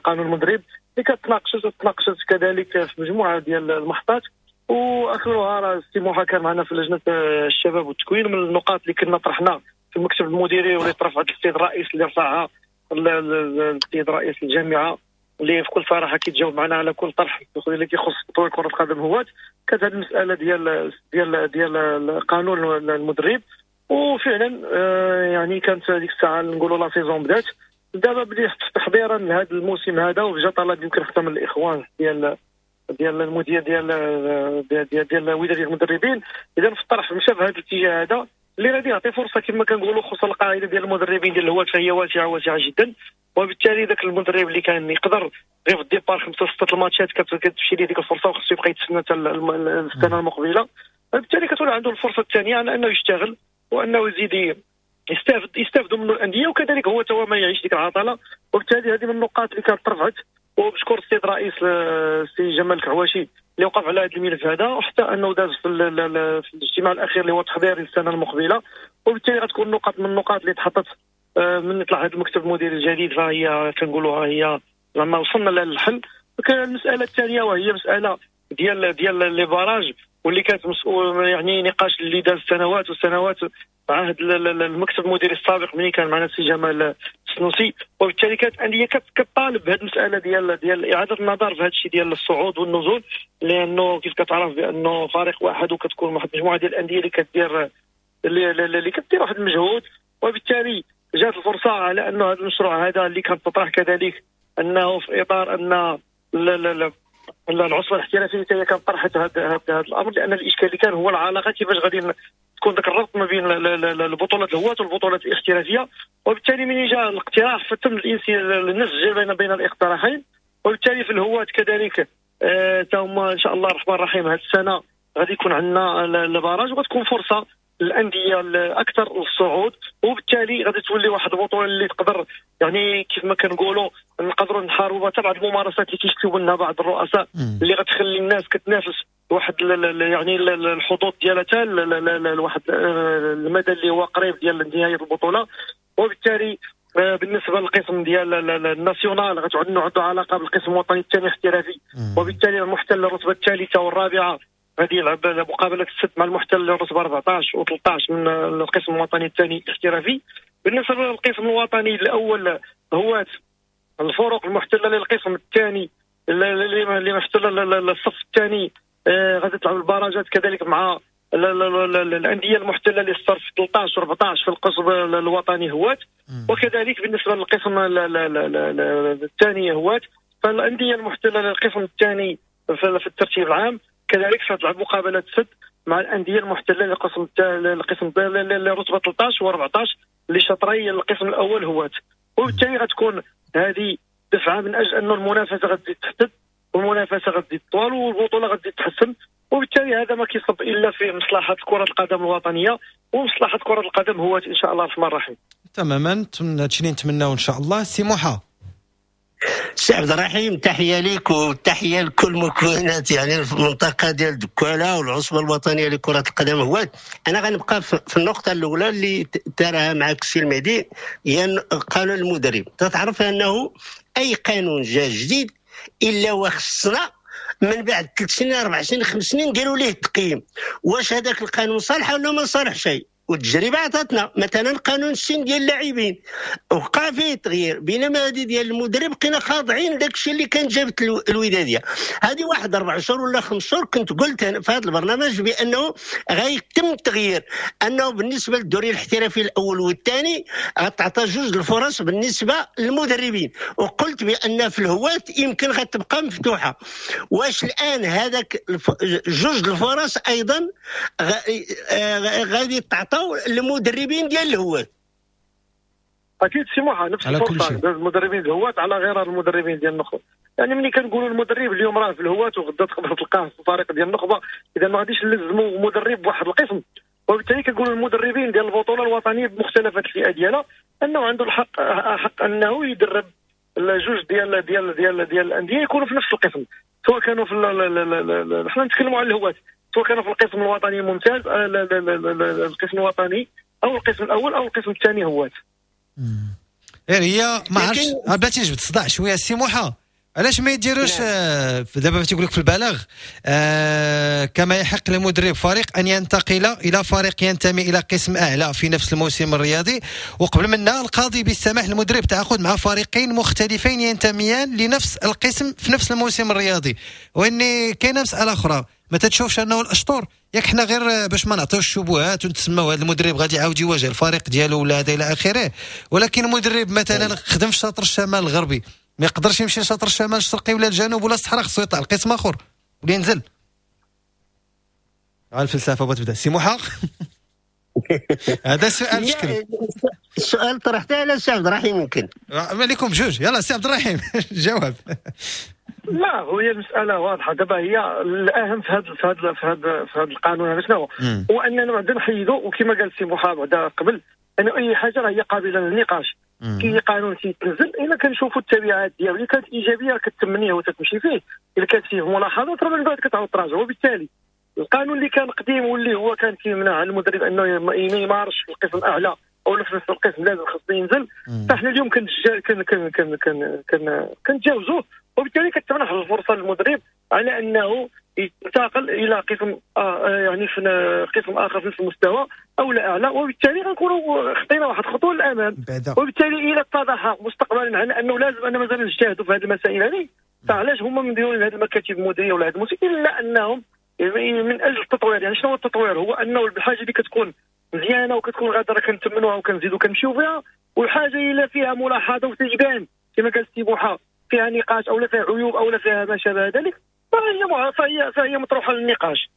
قانون المدرب اللي كتناقشت كذلك في مجموعة ديال المحطات، واخرها راه السي موحى كان معنا في لجنة الشباب والتكوين. من النقاط اللي كنا طرحنا في المكتب المديري واللي ترفعت للسيد الرئيس، اللي رفعها السيد رئيس الجامعة، اللي في كل صراحة كيتجاوب معنا على كل طرح اللي كيخص تطوير كره القدم هواة، كانت هذه المسالة ديال ديال ديال قانون المدرب. وفعلا يعني كانت هذيك الساعة نقولوا la saison بدات. دابا بديت تحضيرا لهذا الموسم هذا، وجا طلب يمكن حتى من الاخوان ديال ديال المدير ديال ديال ديال الوداد ديال المدربين. اذا في الطرح مشى في هذا الاتجاه هذا اللي غادي يعطي فرصة كما كنقولوا، خصوصا القاعدة ديال المدربين ديال الهواة فهي واسعة واسعة جدا، وبالتالي ذاك المدرب اللي كان يقدر غير في ال départ 5 6 الماتشات كتمشي ليه ديك الفرصة وخصو يبقى يتسنى حتى السنة المقبلة، بالتالي كتولي عنده الفرصة الثانية على انه يشتغل وانه يزيد يستافدوا منه الاندية، وكذلك هو تا ما يعيش ديك العطلة. وبالتالي هذه من النقاط اللي كانت ترفعت، وبشكر السيد الرئيس السي جمال الكعواشي اللي وقف على هذا الملف هذا، وحتى انه داز في الاجتماع الاخير اللي هو تحضيري للسنة المقبلة. وبالتالي غتكون نقاط من النقاط اللي تحطت من طلع هذا المكتب المديري الجديد، فهي كنقولوها هي زعما وصلنا للحل. المسالة الثانية وهي مسالة ديال les barrages. واللي كانت مسؤول، يعني نقاش اللي داز سنوات وسنوات عهد المكتب المديري السابق ملي كان معنا السي جمال السنوسي. وبالتالي كانت الاندية كطالب بهذه المسالة ديال اعاده النظر في هذا الشيء ديال الصعود والنزول، لانه كيف كتعرف بانه فريق واحد وكتكون واحد المجموعة ديال الاندية اللي كدير اللي كدير واحد المجهود. وبالتالي جات الفرصة على انه هذا المشروع هذا اللي كان تطرح كذلك انه في اطار ان العصبة الاحترافية هي كانت طرحت هذا الامر، لان الاشكال اللي كان هو العلاقة كيفاش غادي تكون ذاك الربط ما بين البطولات الهواة والبطولات الاحترافية. وبالتالي من جاء الاقتراح فتم النسج بين الاقتراحين. وبالتالي في الهواة كذلك تاهما ان شاء الله الرحمن الرحيم هذه السنة غادي يكون عندنا ال barrage، وغتكون فرصة للاندية الاكثر للصعود، وبالتالي غادي تولي واحد البطولة اللي تقدر يعني كيف ما كنقولوا نقدروا نحاربوا حتى بعض الممارسات اللي كيشتيو منها بعض الرؤساء اللي غتخلي الناس كتنافس واحد يعني الحظوظ ديالها حتى لواحد المدى اللي هو قريب ديال نهاية البطولة. وبالتالي بالنسبة للقسم ديال ال national غتعود عنده علاقة بالقسم الوطني الثاني احترافي، وبالتالي المحتل الرتبة الثالثة والرابعة غادي يلعب مقابله السد مع المحتل الرتبة 14 و13 من القسم الوطني الثاني الاحترافي. بالنسبة للقسم الوطني الاول هو الفرق المحتلة للقسم الثاني اللي محتلة للصف الثاني غادي تلعب البراجات كذلك مع الاندية المحتلة للصف 13 و14 في القسم الوطني هوات. وكذلك بالنسبة للقسم الثاني هوات، فالانديه المحتلة للقسم الثاني في الترتيب العام كذلك ستلعب مقابله سد مع الاندية المحتلة للقسم لرتبه 13 و14 لشطري القسم الاول هوات. وبالتالي غتكون هذه دفعه من اجل انه المنافسة غتزيد تحدد والمنافسه غتزيد طوال والبطوله غتزيد تحسن، وبالتالي هذا ما كيصب الا في مصلحة كره القدم الوطنية ومصلحه كره القدم هوات ان شاء الله الرحمن الرحيم. تماما، هادشي اللي نتمناو ان شاء الله. سي موحى. سي عبد الرحيم، تحية ليك وتحية لكل مكونات يعني المنطقة ديال دكاله والعصبه الوطنية لكرة القدم هوات. انا غنبقى في النقطة الاولى اللي تراها معك السي المهدي، هي قانون المدرب. تتعرف انه اي قانون جا جديد الا وخصنا من بعد 3 سنين 4 سنين 5 سنين نديروا ليه التقييم، واش هذاك القانون صالح ولا ما صالح شيء. والتجربة عطاتنا مثلا قانون السن ديال اللاعبين وقع فيه تغيير، بينما هذه ديال المدرب بقينا خاضعين داك الشيء اللي كان جابت الوداديه. هذه واحد 4 شهور ولا 5 شهور كنت قلت في هذا البرنامج بانه غيتم التغيير، انه بالنسبة للدوري الاحترافي الاول والثاني غتعطى 2 الفرص بالنسبة للمدربين، وقلت بان في الهواة يمكن غتبقى مفتوحة. واش الان هذاك 2 الفرص ايضا غادي تعطى المدربين ديال الهواة؟ اكيد سي موحى، نفس الفرصة المدربين الهواة على غير المدربين ديال النخبة. يعني ملي كنقولوا المدرب اليوم راه في الهواة وغدا تقدر تلقاه في الفريق ديال النخبة، اذا ما غاديش نلزموا مدرب بواحد القسم. وبالتالي كنقولوا المدربين ديال البطولة الوطنية بمختلف الفئات ديالها انه عنده الحق حق انه يدرب الجوج ديال ديال ديال ديال الاندية يكونوا في نفس القسم، سواء كانوا في حنا نتكلموا على الهواة، سواء كانوا في القسم الوطني الممتاز، القسم الوطني او القسم الاول او القسم الثاني هواة. غير هي ما عرفتش بلاتي جبت صداع شوية سي موحى، علاش ما يديروش دابا تيقول لك في البلاغ كما يحق لمدرب فريق ان ينتقل الى فريق ينتمي الى قسم اعلى في نفس الموسم الرياضي، وقبل منها القاضي بالسماح للمدرب تعاقد مع فريقين مختلفين ينتميان لنفس القسم في نفس الموسم الرياضي. واني كاينه مسالة اخرى، ما تتشوفش انه الاشطور ياك حنا غير باش ما نعطيوش الشبهات ونتسماو هذا المدرب غادي يعاود يواجه الفريق ديالو ولا هذا الى اخره، ولكن المدرب مثلا خدم في شاطر الشمال الغربي ما يقدرش يمشي لشاطر الشمال الشرقي ولا الجنوب ولا الصحراء، خصو يطلع لقسم اخر ولا ينزل. على الفلسفة بغات تبدا سي موحى. هذا سؤال بشكل السؤال طرحته على سي عبد الرحيم يمكن عليكم بجوج. يلا سي عبد الرحيم جواب. لا هي المسالة واضحة دابا، هي الاهم في هذا في هذا في هذا في هذا القانون هذا شنو هو؟ هو اننا بعدا نحيدوا، وكما قال سي موحى بعدا قبل انه اي حاجة راه هي قابله للنقاش. كاين قانون تيتنزل الا كنشوفوا التبعات ديالو، الا كانت ايجابية كتمنيه وتتمشي فيه، الا كانت فيه ملاحظات راه من بعد كتعاود تراجع. وبالتالي القانون اللي كان قديم واللي هو كان كيمنع المدرب انه يمارس في القسم الاعلى او في نفس القسم لازم خصو ينزل، فاحنا اليوم كنتجاوزوه، وبالتالي كتمنح الفرصة للمدرب على انه ينتقل الى قسم يعني في قسم اخر في نفس المستوى او لا اعلى، وبالتالي غنكونوا خطينا واحد الخطوة للامام. وبالتالي الى اتضح مستقبلا على انه لازم ان مازال نجتهدوا في هذه المسائل هذه، فعلاش هما مديرين هذه المكاتب المديرية ولا هذه المسائل الا انهم من اجل التطوير. يعني شنو هو التطوير؟ هو انه الحاجة اللي كتكون مزيانه وكتكون غاده كنتمنوها وكنزيدوا كنمشيو فيها، والحاجة اللي فيها ملاحظة وتجبان كما قال السي بوحه فيها نقاش او لا فيها عيوب او لا فيها ما شابه ذلك، فهي مطروحة للنقاش.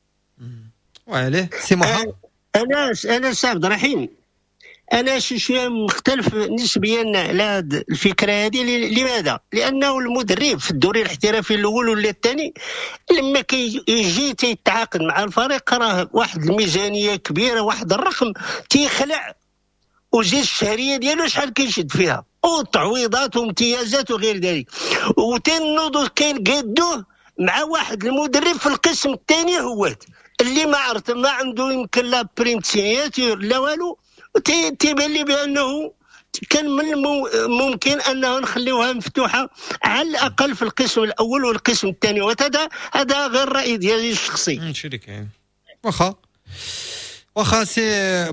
وعليه سي موحى. انا سي عبد الرحيم، انا شي شوية مختلف نسبيا على هذه الفكرة هذه. لماذا؟ لانه المدرب في الدوري الاحترافي الاول ولا الثاني لما كيجي تيتعاقد مع الفريق راه واحد الميزانية كبيرة، واحد الرقم تيخلع، وزيد الشهرية ديالو شحال كيشد فيها وتعويضات وامتيازات وغير ذلك، وتنوضوا كينقادوه مع واحد المدرب في القسم الثاني هو اللي ما عرفت ما عنده يمكن لا prime signature لا والو. تيبان لي بانه كان من الممكن انه نخليوها مفتوحة على الاقل في القسم الاول والقسم الثاني، وهذا هذا غير الراي ديالي الشخصي. واخا سي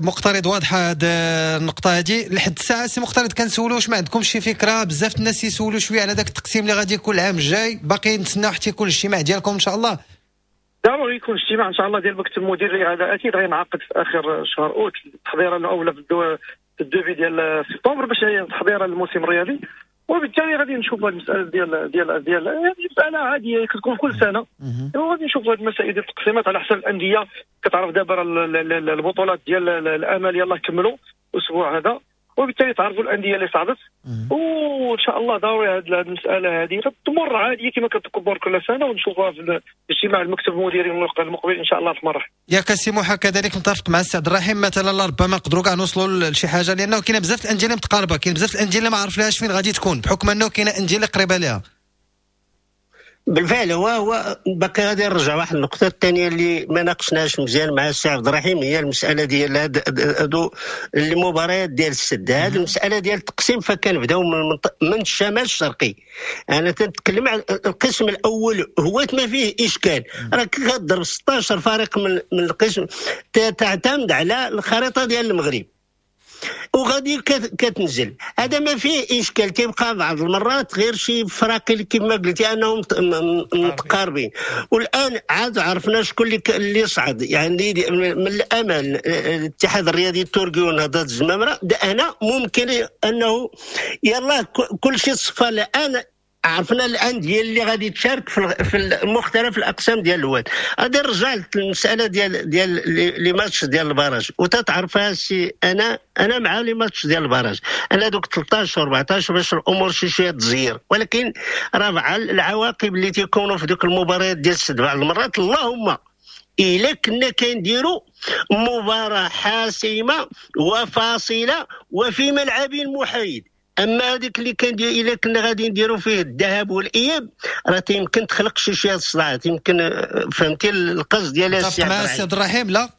مقترض، واضحة هاد النقطة هادي. لحد الساعة سي مقترض كنسولو واش ما عندكمش شي فكرة؟ بزاف الناس يسولوا شوية على داك التقسيم اللي غادي يكون العام الجاي، باقي نتسناو حتى يكون الاجتماع ديالكم ان شاء الله. ضروري يكون اجتماع ان شاء الله ديال المكتب المديري، هذا اكيد غينعقد في اخر شهر اوت، التحضيره الاولى في ال début ديال سبتمبر باش هي تحضيره للموسم الرياضي. وبالتالي غادي نشوفوا هذه المسالة ديال ديال ديال مسالة عادية كتكون كل سنة، وغادي نشوفوا هذه المسائل ديال التقسيمات على حسب الاندية. كتعرف دابا البطولات ديال الامل يلاه كملوا الاسبوع هذا، وبالتالي تعرفوا الاندية اللي صعدت، وان شاء الله ضروري هذه المسالة هذه تمر عادية كما كتكبر كل سنة، ونشوفوها في اجتماع المكتب المديري المقبل ان شاء الله في مرة. ياك سي موحى كذلك متفق مع السي عبد الرحيم، مثلا ربما نقدروا كاع نوصلوا لشي حاجة، لانه كاين بزاف الاندية اللي متقاربة، كاين بزاف الاندية اللي ما عرفناش فين غادي تكون، بحكم انه كاينه اندية اللي قريبه لها. بالفعل هو باقي غادي نرجع واحد النقطة الثانية اللي ما ناقشناش مزيان مع السي عبد الرحيم، هي المسالة ديال هادو المباريات ديال السد. هذه المسالة ديال التقسيم فكنبداو من الشمال الشرقي. انا تنتكلم على القسم الاول هو ما فيه اشكال، راك كتضرب 16 فريق من القسم، تعتمد على الخريطة ديال المغرب وغادي كتنزل، هذا ما فيه اشكال. تيبقى بعض المرات غير شي فراقي كما قلتي انهم متقاربين. والان عاد عرفنا شكون اللي صعد، يعني من الامل الاتحاد الرياضي التركي ونهضه الزمامره، انا ممكن انه يلا كل شيء صفى الان. عرفنا الاندية اللي غادي تشارك في مختلف الاقسام ديال الواد. غادي نرجع للمسالة ديال les matchs ديال ال barrage، وتتعرفها سي انا مع les matchs ديال ال barrage، انا دوك 13 14 باش الامور شي شوية تزير، ولكن راه مع العواقب اللي تيكونوا في دوك المباريات ديال السد بعض المرات. اللهم الا كنا كنديروا مباراة حاسمة وفاصله وفي ملعب محايد، اما هذيك اللي كان الا كنا غادي نديروا فيه الذهاب والاياب راه يمكن تخلق شي شوية الصداعات، يمكن فهمتي القصد ديال السي عبد الرحيم. لا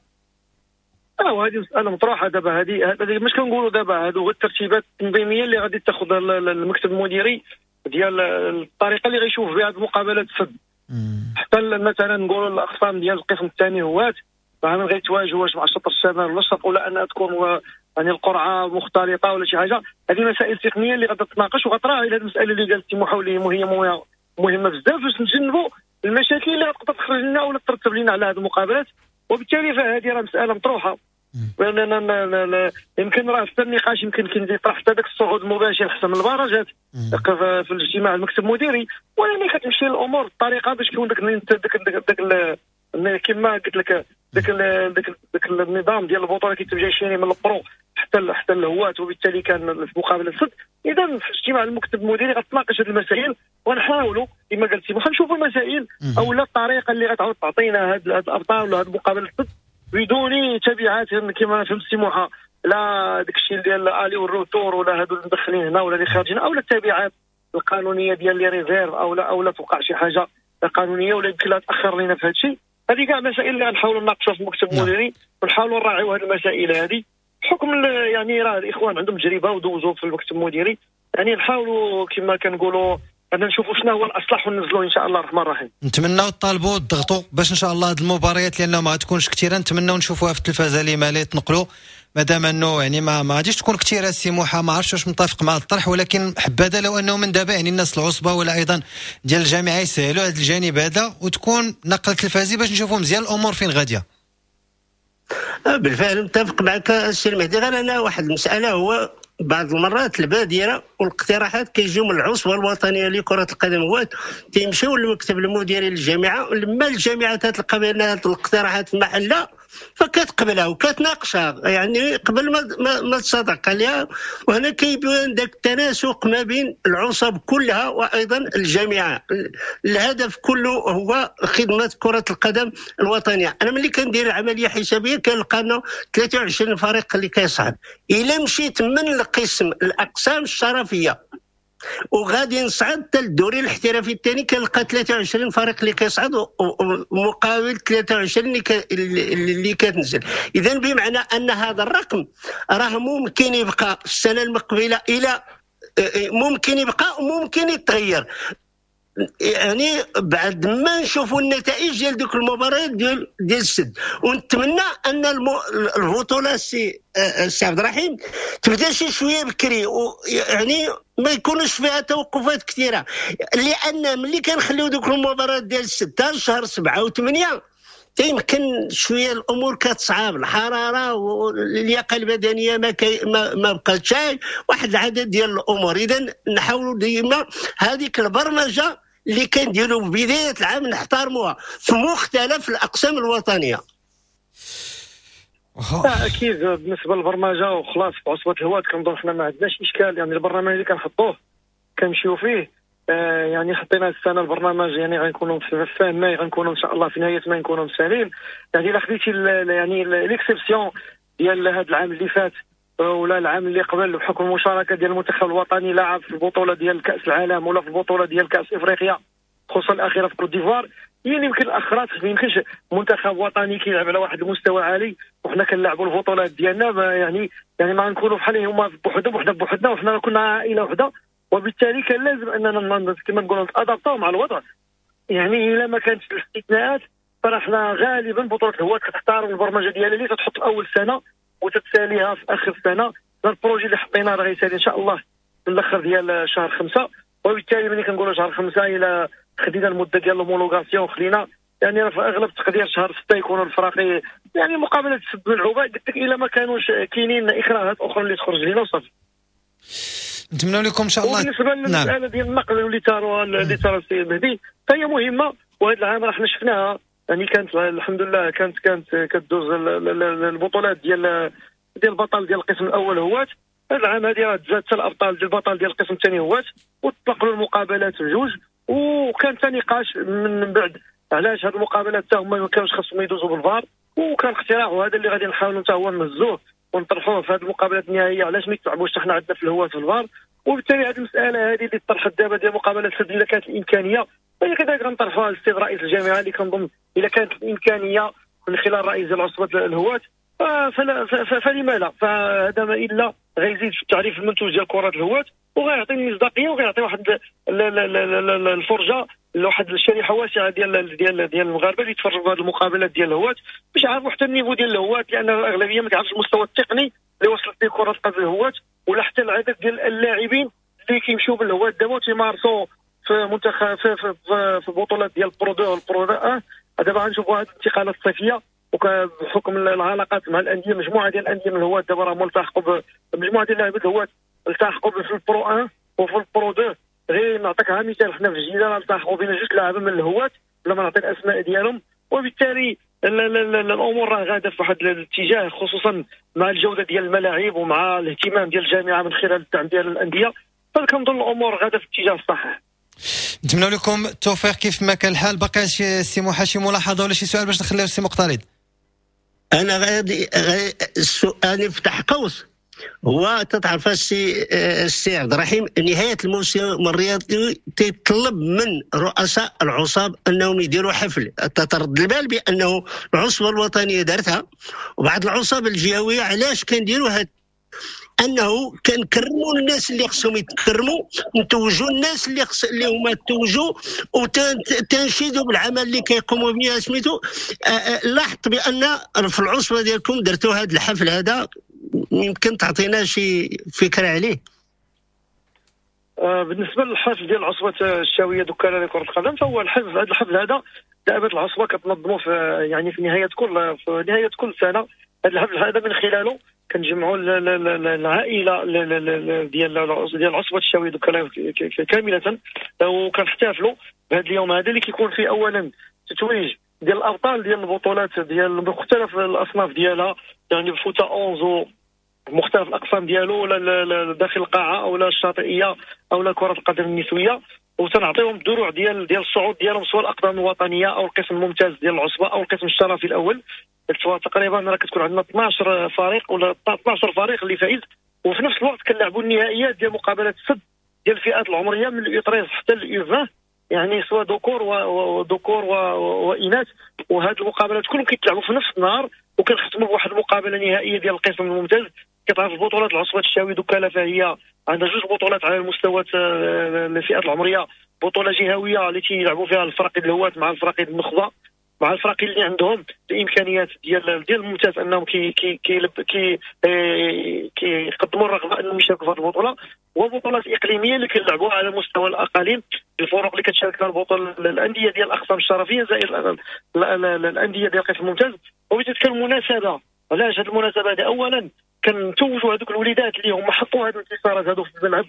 وهذه مسالة مطروحة دابا، هذه مش كنقولوا دابا، هادو غير الترتيبات التنظيمية اللي غادي تاخذها المكتب المديري ديال الطريقة اللي غيشوف بها هذه المقابلات السد. حتى مثلا نقولوا الاقسام ديال القسم الثاني هوات فهم غيتواجهوا واش مع الشطر الشمال ولا الشرق، ولا انها تكون يعني القرعة مختلطة ولا شي حاجة. هذه مسائل تقنية اللي غادي تتناقش وغتراعي هذه المسالة اللي قالت سي محاولي، هي مهمة بزاف باش نتجنبوا المشاكل اللي غتقدر تخرج لنا ولا ترتب لنا على هذه المقابلات. وبالتالي فهذه راه مسالة مطروحة، لان يمكن راه حتى النقاش يمكن كاين يطرح حتى ذاك الصعود المباشر حسن من البراجات في الاجتماع المكتب المديري، ولكن كتمشي الامور بطريقة باش يكون داك كما قلت لك داك النظام ديال البطولة كيتم شي من ال pro حتى الهواة، وبالتالي كان في مقابله السد. اذا في اجتماع المكتب المديري غتناقش هذه المسائل، ونحاولوا كما قلت سي نشوفوا المسائل او لا الطريقة اللي غتعاود تعطينا هاد الابطال ولا هاد المقابلة السد بدون تبعات كما فهمت سي موحى، لا داك الشيء ديال aller وال retour ولا هادو اللي مدخلين هنا ولا اللي خارجين، او لا التبعات القانونية ديال les réserves، او لا توقع شي حاجة قانونية ولا يمكن لها تاخر لنا في هذا الشيء. هذه كاع مسائل اللي غنحاولوا نناقشوها في المكتب المديري ونحاولوا نراعيو هذه المسائل هذه بحكم يعني راه الاخوان عندهم تجربه ودوزوا في المكتب المديري، يعني نحاولوا كما كنقولوا غادي نشوفوا شنو هو الاصلح وننزلوه ان شاء الله الرحمن الرحيم. نتمناو تطالبوا تضغطوا باش ان شاء الله هذه المباريات لانه ما غتكونش كثيرة، نتمناو نشوفوها في التلفازه لما لا تنقلوا، مادام انه يعني ما غاديش تكون كثيرة. السي موحى ما عرفتش واش متفق مع الطرح، ولكن حبذا لو انه من دابا يعني الناس العصبة ولا ايضا ديال الجامعة يسهلوا هذا الجانب هذا وتكون نقل تلفازي باش نشوفوا مزيان الامور فين غادية. بالفعل متفق معك السي المهدي، غير انا واحد المسالة، هو بعض المرات البادرة والاقتراحات كيجيو من العصبة الوطنية لكرة القدم هو تيمشيو للمكتب المديري للجامعة، لما الجامعة تتلقى بان هذه الاقتراحات في محلها فكتقبلها وكتناقشها يعني قبل ما تصادق عليها، وهنا كيبان ذاك التناسق ما بين العصب كلها وايضا الجامعة. الهدف كله هو خدمة كره القدم الوطنية. انا ملي كندير عملية حسابيه كنلقى انه 23 فريق اللي كيصعد، الا مشيت من القسم الاقسام الشرفيه وغادي نصعد حتى الدوري الاحترافي الثاني كنلقى 23 فريق اللي كيصعد مقابل 23 اللي كتنزل. اذا بمعنى ان هذا الرقم راه ممكن يبقى السنة المقبلة، الى ممكن يبقى وممكن يتغير، يعني بعد ما نشوفوا النتائج ديال دوك المباريات ديال السد. ونتمنى ان البطولة السي عبد الرحيم تبدا شي شوية بكري، يعني ما يكونوش فيها توقفات كثيرة، لان ملي كنخليو دوك المباريات ديال السد حتى شهر 7 و8 يمكن شوية الامور كتصعب، الحرارة واللياقه البدنية ما بقاتش، واحد العدد ديال الامور. اذا نحاولوا ديما هذيك البرمجة اللي كنديروا في بداية العام نحترموها في مختلف الاقسام الوطنية. اكيد بالنسبة للبرمجه وخلاص في عصبه الهواة كنظن حنا ما عندناش اشكال، يعني البرنامج اللي كنحطوه كنمشيو فيه. يعني حطينا السنة البرنامج، يعني غنكونوا في ماي، غنكونوا ان شاء الله في نهاية ماي نكونوا مسالين. يعني الا خديتي يعني l'exception ديال هذا العام اللي فات ولا العام اللي قبل، بحكم المشاركة ديال المنتخب الوطني لعب في البطولة ديال كاس العالم ولا في البطولة ديال كاس افريقيا خصوصا الاخيرة في كوت ديفوار، يعني يمكن الاخرات ما يمكنش منتخب وطني كيلعب على واحد المستوى عالي وحنا كنلعبوا البطولات ديالنا، يعني ما نكونوا بحال هما بوحدهم وحنا بوحدنا، وحنا كنا عائلة وحده، وبالتالي كان لازم اننا كما نقولوا نتادابطاو مع الوضع. يعني الا ما كانتش الاستثناءات فرحنا غالبا بطوله الهواة كتحترم البرمجة ديالها اللي تتحط في اول سنة وتتساليها في اخر سنة. ال projet اللي حطيناه راه غيسالي ان شاء الله في الاخر ديال شهر 5، وبالتالي ملي كنقولوا شهر 5 الى خدينا المدة ديال l'homologation خلينا يعني راه في اغلب التقدير شهر 6 يكونوا الفراقي يعني مقابله سد ملعوبه. قلت لك الا ما كانوش كاينين اكراهات اخرى اللي تخرج لينا وصافي. نتمنى لكم ان شاء الله. وبالنسبة للمسالة ديال النقل اللي تاروا اللي تارى السيد المهدي فهي مهمة، وهذا العام راه حنا شفناها، يعني كانت الحمد لله كانت كدوز البطولات ديال البطل ديال القسم الاول هوات. هذا العام هذه راه تزاد حتى الابطال ديال البطل ديال القسم الثاني هوات، وتنقلوا المقابلات بجوج، وكان حتى نقاش من بعد علاش هذه المقابلات حتى هما ما كانوش خاصهم يدوزوا بالفار، وكان اقتراح وهذا اللي غادي نحاولوا حتى هو نهزوه ونطرحوه في هذه المقابلات النهائية، علاش ما يتلعبوش حنا عندنا في الهواة في الفار. وبالتالي هذه المسالة هذه اللي طرحت دابا ديال مقابلات السد الا كانت الامكانية فهي كذلك غنطرحوها للسيد رئيس الجامعة اللي كنظن الا كانت الامكانية من خلال رئيس ديال عصبه الهواة فلما لا، فهذا ما الا غيزيد في التعريف المنتوج ديال كره الهواة وغيعطي المصداقية وغيعطي واحد الفرجة لواحد الشريحة واسعة ديال ديال ديال المغاربة اللي يتفرجوا في هذه المقابلات ديال الهواة باش يعرفوا حتى ال niveau ديال الهواة، لان الاغلبية ما كيعرفش المستوى التقني اللي وصلت به كره القدم الهواة ولا حتى العدد ديال اللاعبين اللي كيمشيو بالهواة دابا وتيمارسوا في منتخب في في, في, في بطولات ديال ال Pro 2 وال Pro 1. دابا غنشوفوا هذه الانتقالات الصيفية، وبحكم العلاقات مع الاندية مجموعة ديال الاندية من الهواة دابا راهم التحقوا بمجموعه ديال اللاعبين الهواة التحقوا في ال Pro 1 وفي ال Pro 2. غير نعطيك مثال، حنا في الجديدة التحقوا بنا جوج لاعبين من الهواة بلا ما نعطي الاسماء ديالهم، وبالتالي الامور راه غاده في واحد الاتجاه، خصوصا مع الجودة ديال الملاعب ومع الاهتمام ديال الجامعة من خلال الدعم ديال الاندية، فكنظن الامور غاده في الاتجاه الصحيح. نتمنى لكم التوفيق كيف ما كان الحال. باقي شي سي موحى شي ملاحظة ولا شي سؤال باش نخليو السي مقترض؟ انا غادي السؤال نفتح قوس، هو تتعرف السي عبد الرحيم نهاية الموسم الرياضي تيطلب من رؤساء العصاب انهم يديروا حفل. تترد البال بانه العصبة الوطنية دارتها وبعض العصاب الجهوية. علاش كنديروا هاد؟ انه كنكرموا الناس اللي خصهم يتكرموا، نتوجوا الناس اللي خص اللي هما توجوا، وتنشيدوا بالعمل اللي كيقوموا به سميتو. لاحظت بان في العصبة ديالكم درتوا هذا الحفل هذا، يمكن تعطينا شي فكرة عليه؟ بالنسبة للحفل ديال عصبه الشاويه دكاله لكرة القدم، فهو الحفل هذا الحفل هذا دائما العصبة كتنظمه في يعني في نهاية كل سنة. هذا الحفل هذا من خلاله كنجمعوا العائلة ديال عصبه الشاويه دكاله كاملة، وكنحتفلوا بهذا اليوم هذا اللي كيكون فيه اولا تتويج ديال الابطال ديال البطولات ديال مختلف الاصناف ديالها، يعني فوتا 11 مختلف الاقسام ديالو، ولا داخل القاعة او لا الشاطئيه او لا كره القدم النسوية، وتنعطيهم الدروع ديال الصعود ديالهم، سواء الاقدام الوطنية او القسم الممتاز ديال العصبة او القسم الشرفي الاول. تقريبا راه كتكون عندنا 12 فريق ولا 12 فريق اللي فائز، وفي نفس الوقت كنلعبوا النهائيات ديال مقابلات السد ديال الفئات العمرية من ال U 13 حتى ال U 20، يعني سواء ذكور وذكور واناث. وهذه المقابلات كلهم كيتلعبوا في نفس النهار، وكنختموا بواحد المقابلة نهائية ديال القسم الممتاز. كتعرف البطولات العصبة الشاوي دكاله فهي عندها جوج بطولات على المستوى الفئات العمرية، بطوله جهويه اللي تيلعبوا فيها الفرق الهواة مع الفرق النخبة، مع الفرق اللي عندهم الامكانيات ديال الممتاز انهم كي كي كي كيقدموا الرغبة انهم يشاركوا في هذه البطولة، وبطولات اقليمية اللي كيلعبوها على مستوى الاقاليم، الفرق اللي كتشارك فيها البطولة الاندية ديال الاقسام الشرفيه زائد الاندية ديال القسم الممتاز. وبتلك المناسبة، علاش هذه المناسبة هذه؟ اولا كنتوجوا هذوك الوليدات اللي هما حقوا هذه الانتصارات هذو في الملعب،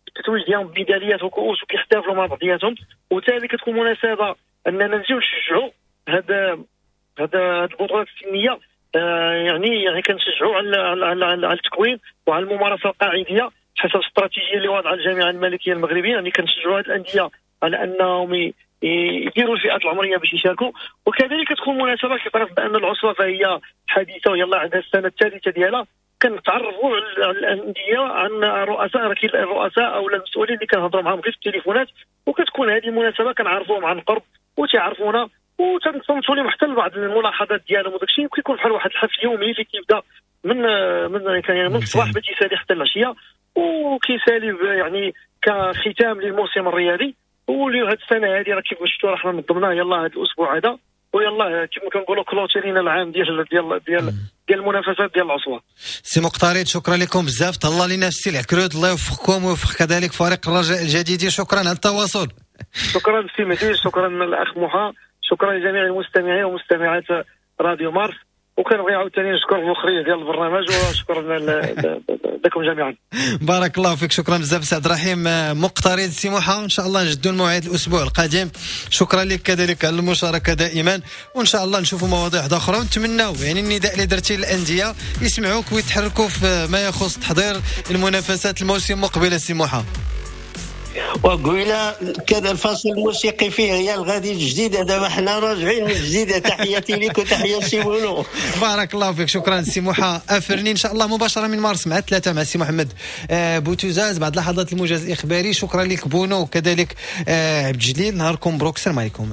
التتويج ديالهم بميداليات وكؤوس وكيحتفلوا مع بعضياتهم، وثاني كتكون مناسبة اننا نجيو نشجعوا هذا البطولات السنية، يعني كنشجعوا على التكوين وعلى الممارسة القاعديه حسب الاستراتيجية اللي واضعه الجامعة الملكية المغربية. يعني كنشجعوا هذه الاندية على انهم يديروا الفئات العمرية باش يشاركوا. وكذلك تكون مناسبة كتعرف بان العصبة فهي حديثه ويلا عندها السنة الثالثة ديالها، كنتعرفوا على الاندية عن رؤساء الرؤساء او المسؤولين اللي كنهضروا معاهم غير في التليفونات، وكتكون هذه المناسبة كنعرفوهم عن قرب وتعرفونا وتنصنتوا لهم حتى لبعض الملاحظات ديالهم وداك الشيء. وكيكون بحال واحد الحفل يومي اللي كيبدا من من يعني من الصباح باش يسالي حتى العشية، وكيسالي يعني كختام للموسم الرياضي. واللي هذه السنة هذه راه كيف شفتوا راه حنا نظمناه يلاه هذا الاسبوع هذا، ويلاه كما كنقولوا clôturينا العام ديال ديال ديال ديال المنافسات ديال العصبة. سي مقتريد شكرا لكم بزاف، تهلا لينا في السي العكرود، الله يوفقكم ويوفق كذلك فريق الرجاء الجديد. شكرا على التواصل. شكرا سي مهدي، شكرا الاخ محا، شكرا لجميع المستمعين ومستمعات راديو مارس، وكنبغي عاوتاني نشكر المخرج ديال البرنامج وشكرا لكم جميعا. بارك الله فيك، شكرا بزاف سي عبد الرحيم مقتريد. سي موحى ان شاء الله نجدوا الموعد الاسبوع القادم. شكرا لك كذلك على المشاركة دائما، وان شاء الله نشوفوا مواضيع اخرى، ونتمناو يعني النداء اللي درتي للاندية يسمعوك ويتحركوا في ما يخص تحضير المنافسات الموسم المقبل. سي موحى وقيلا كان الفاصل الموسيقي فيه ريال غادي الجديدة، دابا حنا راجعين من الجديدة. تحياتي لك وتحية سي بونو. بارك الله فيك، شكرا سي موحى افرني. ان شاء الله مباشرة من مارس مع 3 مع سي محمد بوتوزاز بعد لحظات الموجز الاخباري. شكرا لك بونو وكذلك عبد الجليل. نهاركم مبروك، السلام عليكم.